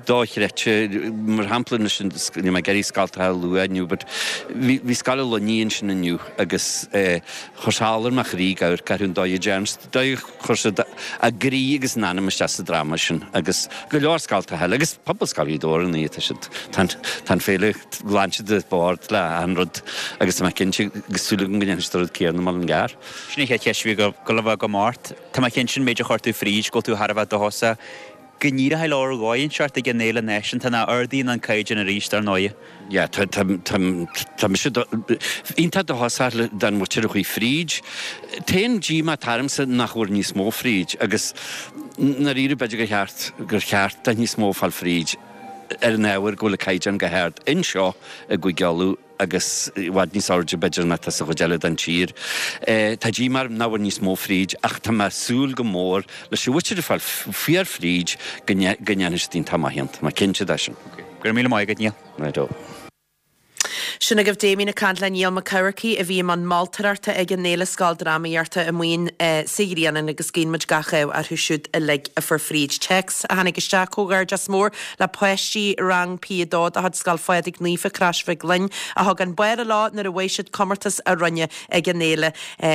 dochreidte. Mar shampla, anois, níl mé ag iarraidh scoltacha a lua inniu but bhí bhí Scoil an Luinnigh ansin inniu agus chuir sé ola ar mo chroí ag amharc orthu an dóigh a dtearn siad, dóigh a chuir siad a gcroí agus a n-anam isteach sa dráma sin agus go leor scoltacha eile agus Pobalscoil Ghaoth Dobhair ar ndóigh tá siad, tá an tá an féile, ghlan siad an bord le achan rud agus tá mé cinnte agus súil agam go ndéanfaidh siad an rud céanna i Mullingar. Sin an chéad cheist a bhí ag dul a bheith agam ort. Tá mé cinnte an méid a chuir tú fríd go bhfuil tú thar a bheith dóchasach Go n-éireoidh leo ar dhóigh inteacht ag an Fhéile Náisiúnta ná ardaíonn an caighdeán arís, dar ndóighe. Yeah, tá, tá, tá, tá mise iontach dóchasach don mhuintir a chuaigh fríd. T-aon díomá atá ormsa nach bhfuair níos mó fríd agus ndáiríre b'fhéidir gur cheart, gur cheart do níos mó fáil fríd ar an ábhar go bhfuil an caighdeán go hard anseo i gCúige Uladh. agus i bhfad níos airde b'fhéidir ná atá sa chuid eile den tír. Tá díomá orm nach bhfuair níos mó fríd ach tá mé ag súil go mór leis an mhuintir a fuair fuair fríd go ndéanfaidh siad iontach maith ann. Tá mé cinnte de sin. Go raibh míle maith agat, Niall. Right-o. Sin agaibh Damien ag caint le Niall Mac Eamharcaigh a bhí i mbun moltóireachta ag an Fhéile Scoildrámaíochta amuigh sa Ghrianán agus guíonn muid gach ádh orthu siúd uilig a fuair fríd. Téacs a tháinig isteach, Comhghairdeas mór le páistí Rang P a dó de chuid Scoil Phádraig Naofa, Crois Mhic Lionn, a thug an barra leo nuair a bhuaigh siad comórtas a rinneadh ag an fhéile.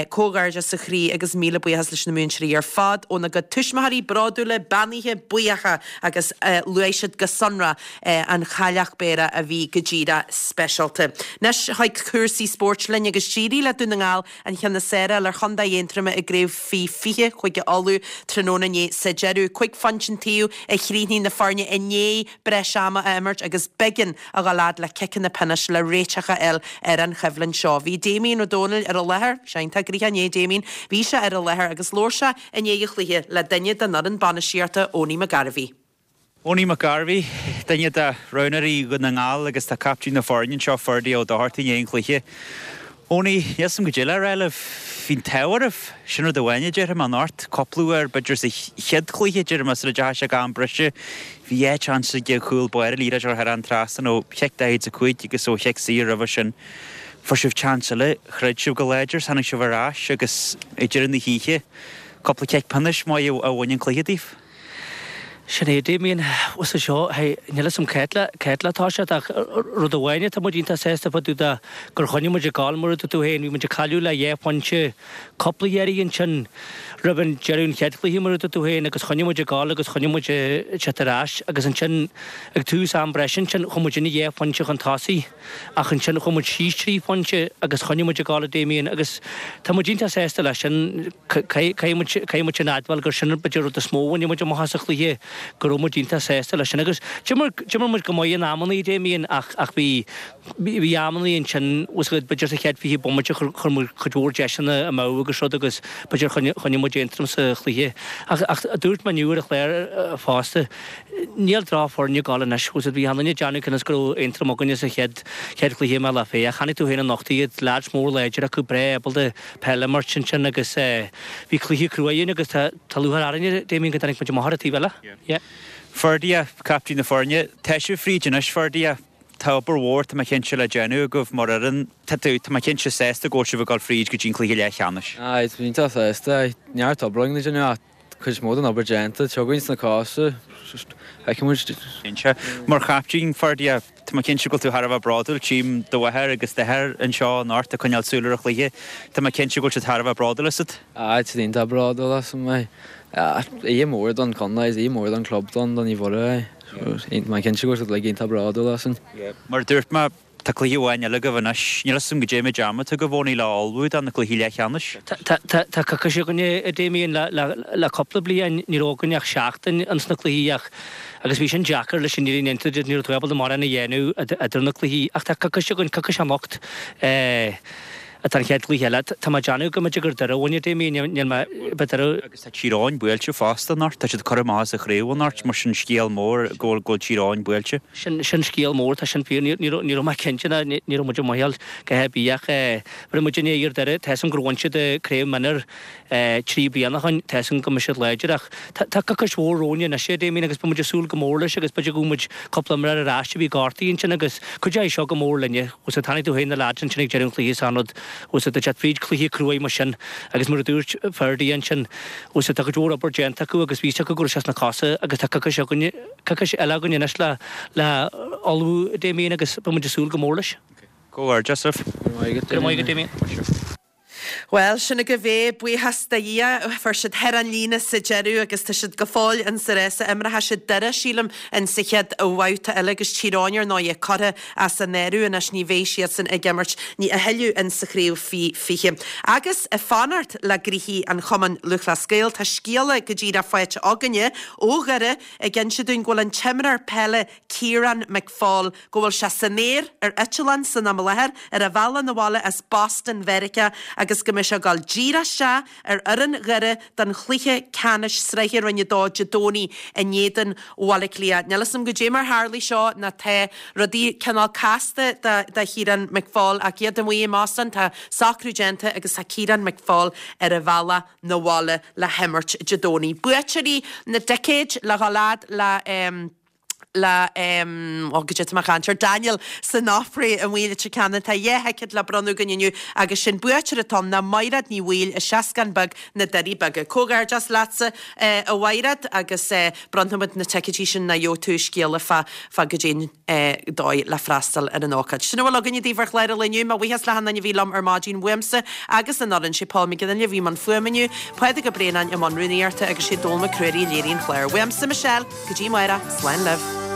Comhghairdeas ó chroí agus míle buíochas leis na múinteoirí ar fad óna gcuid tuismitheoirí bródúla, beannaithe, buíocha agus luaigh siad go sonrath an chailleach Béara a bhí go díreach speisialta. Anois chuig cúrsaí spóirt linn agus d'éirigh le Dún na nGall an ceann is fearr a fháil ar Chontae Aontroma i gCraobh Faoi fiche Chúige Uladh tráthnóna inné sa deireadh. Cúig phointe an taobh a chríochnaigh na foirne i ndiaidh breis ama a imirt agus b'éigean a dhul fhad le ciceanna pionóis le réiteach a fháil ar an choimhlint seo. Bhí Damien Ó Dónaill ar an láthair, sé iontach gnoitheach inné Damien, bhí sé ar an láthair agus labhair sé i ndiaidh an chluiche le duine den fhoireann bainistíochta, Owenie McGarvey. Owenie McGarvey, duine de roghnóirí Dhún na nGall agus tá captaen na foirne anseo, Ferdie Ó Dochartaigh, i ndiaidh an chluiche. Owenie, níl 'fhios a'm goidé le rá libh. Bhí an t-ádh oraibh. Sin rud amháin a déarfaidh mé anocht. Cúpla uair, b'fhéidir sa chéad chluiche, déarfaidh mé, sula dteachaigh sé go am breise, bhí dhá chance ag an chúl báire liathróid a chur thar an trasnán ó chic daichead is a cúig agus ó chic saor roimhe sin. Fuair sibh chance eile, throid sibh go láidir, tháinig sibh ar ais agus ag deireadh na hoíche, cúpla cic pionóis maith a bhain an cluiche daoibh. Sin é, Damien, bhuel seo, hey, níl 'fhios a'm cá háit le, cá háit le toiseacht ach rud amháin atá muid iontach sásta fá dtaobh de gur choinnigh muid ag gabháil mar a dúirt tú féin, bhí muid ag cailleadh le dhá phointe cúpla iarraidh ansin roimh an deireadh an chéad chluiche mar a dúirt tú féin agus choinnigh muid ag gabháil agus choinnigh muid ag teacht ar ais agus ansin ag tús am breise ansin chuaigh muid ina dhá phointe chun tosaigh ach ansin chuaigh muid síos trí phointe agus choinnigh muid ag gabháil a Damien agus tá muid iontach sásta leis sin. Caithfidh muid, caithfidh muid sin a admháil gur sin b'fhéidir rud is mó a bhain muid amach as an chluiche. go raibh muid iontach sásta leis sin agus d'imir d'imir muid go maith in amannaí Damien ach ach bhí bhí amannaí ansin was good b'fhéidir sa chéad fiche bomaite chuir chuir muid cuid mhór deiseanna amú agus rud agus b'fhéidir choinnigh choinnigh muid Aontroim sa chluiche ach ach dúirt mé inniu ar an chlár fosta níl drochfhoirne ag gabháil anois was bhí an duine ag déanamh cionn is go raibh Aontroim againne sa chéad chéad chluiche i mBealach Féich chonaic tú féin anocht iad leaids mór láidir acu breá ábalta peil a imirt ansin agus bhí cluiche crua againn agus tá tá lúcháir orainne Damien go dtáinig muid amach ar an taobh eile. Yeah. Ferdia, captaen na foirne, tá sibh fríd anois Ferdia. Tá obair mhór tá mé cinnte le déanamh agaibh mar fhoireann. Tá tú, tá mé cinnte sásta go bhfuil sibh ag dul fríd go dtí an cluiche leathcheannais. Aye, tá mé iontach sásta. Aye, neart obair againn le déanamh ach cuid is mó den obair déanta. Tiocfaidh sna cosa, feicfidh muid. Cinnte. Mar chaptaen, Ferdia, tá mé cinnte go bhfuil tú thar a bheith bródúil. Tchím do mháthair agus d'athair anseo anocht ag coinneáil súil ar an chluiche. Tá mé cinnte go bhfuil siad thar a bheith bródúil asat. Aye, tá siad iontach bródúil asam. Aye. Oíche mór don chontae, is oíche mór don chlub don don Naomh Mhuire. Aye. Tá mé cinnte go bhfuil siad uilig iontach bródúil asainn. Mar a dúirt mé, tá cluiche amháin eile agaibh anois. Níl a fhios agam goidé méid ama atá agaibh Owenie le ullmhú do na cluichí leathcheannais. Tá coicís againne, a Damien, le cúpla bliain. Ní raibh againn ach seachtain ins na cluichí ach agus bhí sin deacair leis an fhírinne a insint, ní raibh tú ábalta mórán a dhéanamh idir na cluichí. Ach tá coicís againn, coicís anocht. Atá an chéad chluiche eile. Tá mé ag déanamh go mb'fhéidir gur Doire a bhain Damien, níl mé, b'fhéidir. Agus tá Tír Eoghain buailte fosta anocht, tá siad curtha amach as an chraobh anocht, mar sin scéal mór go bhfuil, go bhfuil Tír Eoghain buailte. Sin, sin scéal mór, tá sin fíor, ní, ní raibh, ní raibh mé cinnte ná ní, ní raibh muid amuigh go h-ar bith ach eh, bhí muid i ndiaidh ar Doire, tá 'fhios a'm gur bhain siad craobh mionúr eh, trí bliana ó shoin, tá 'fhios a'm go mbeidh siad láidir ach tá, tá coicís mhór romhainn anois a Damien agus beidh muid ag súil go mór leis agus b'fhéidir go bhfuil muid cúpla imreoir ar ais a bhí gortaithe ansin agus cuideoidh seo go mór linne. Agus chonaic tú féin na leaids ansin ag deireadh an chluiche san rud Agus tá siad fríd cluiche cruaidh mar sin agus mar a dúirt Ferdia ansin, agus tá cuid mhór obair déanta acu agus bhí 'fhios acu go raibh sé sna cosa agus tá coicís againne, coicís eile againn anois le, le ullmhú Damien agus beidh muid ag súil go mór leis. Comhghairdeas libh. Go raibh maith agat, Go raibh maith agat Damien. Bhuel, sin agaibh é, buíochas do Dhia, fuair siad thar an líne sa deireadh agus tá siad go fóill in sa rása. Imreoidh siad Doire, sílim, in sa chéad bhabhta eile agus Tír Eoghain ar ndóigh curtha as an áireamh anois, ní bheidh siadsan ag imirt a thuilleadh in sa chraobh faoi fiche. Agus ag fanacht le gnoithí an Chumainn Lúthchleas Gael, tá scéala go díreach faighte againne ó Dhoire ag inse dúinn go bhfuil an t-imreoir peile Ciarán McFaul, go bhfuil sé san aer ar eitleán san am i láthair ar a bhealach 'na bhaile as Boston Mheiriceá agus go mbeidh sé ag dul díreach isteach ar fhoireann Dhoire don chluiche ceannais sraithe Roinn a Dó Dé Domhnaigh in éadan Bhaile Átha Cliath. Níl 'fhios a'm goidé mar tharlaigh seo ná tá rudaí cineál casta do Chiarán McFaul ach iad amuigh i mBoston tá socrú déanta agus tá Ciarán McFaul ar a bhealach 'na bhaile le himirt Dé Domhnaigh. Buaiteoirí na dticéid le dhul fhad le le ó goidé tá mé a chaint air Daniel san Opry amuigh i Leitir Ceanainn. Tá dhá thicéad le bronnadh againn inniu agus sin buaiteoir atá ann ná Maighread Ní Bhaoill i Seascann Beag na Doirí Beaga. Comhghairdeas leatsa a Mhaighread agus bronnfaimid na ticéidí sin ná gheobhaidh tú scéala fá fá goidé an dóigh le freastal ar an ócáid. Sin a bhfuil againne daoibh ar chlár an lae inniu. Mo bhuíochas le hachan duine a bhí liom ar maidin uaimse agus an fhoireann. Sé Paul McGinley a bhí i mbun fuaime inniu, Pádraig Ó Braonáin i mbun rúnaíochta agus sé Dónall Mac Ruairí a léirigh an clár. Uaimse Michelle, go dtí amárach, slán libh.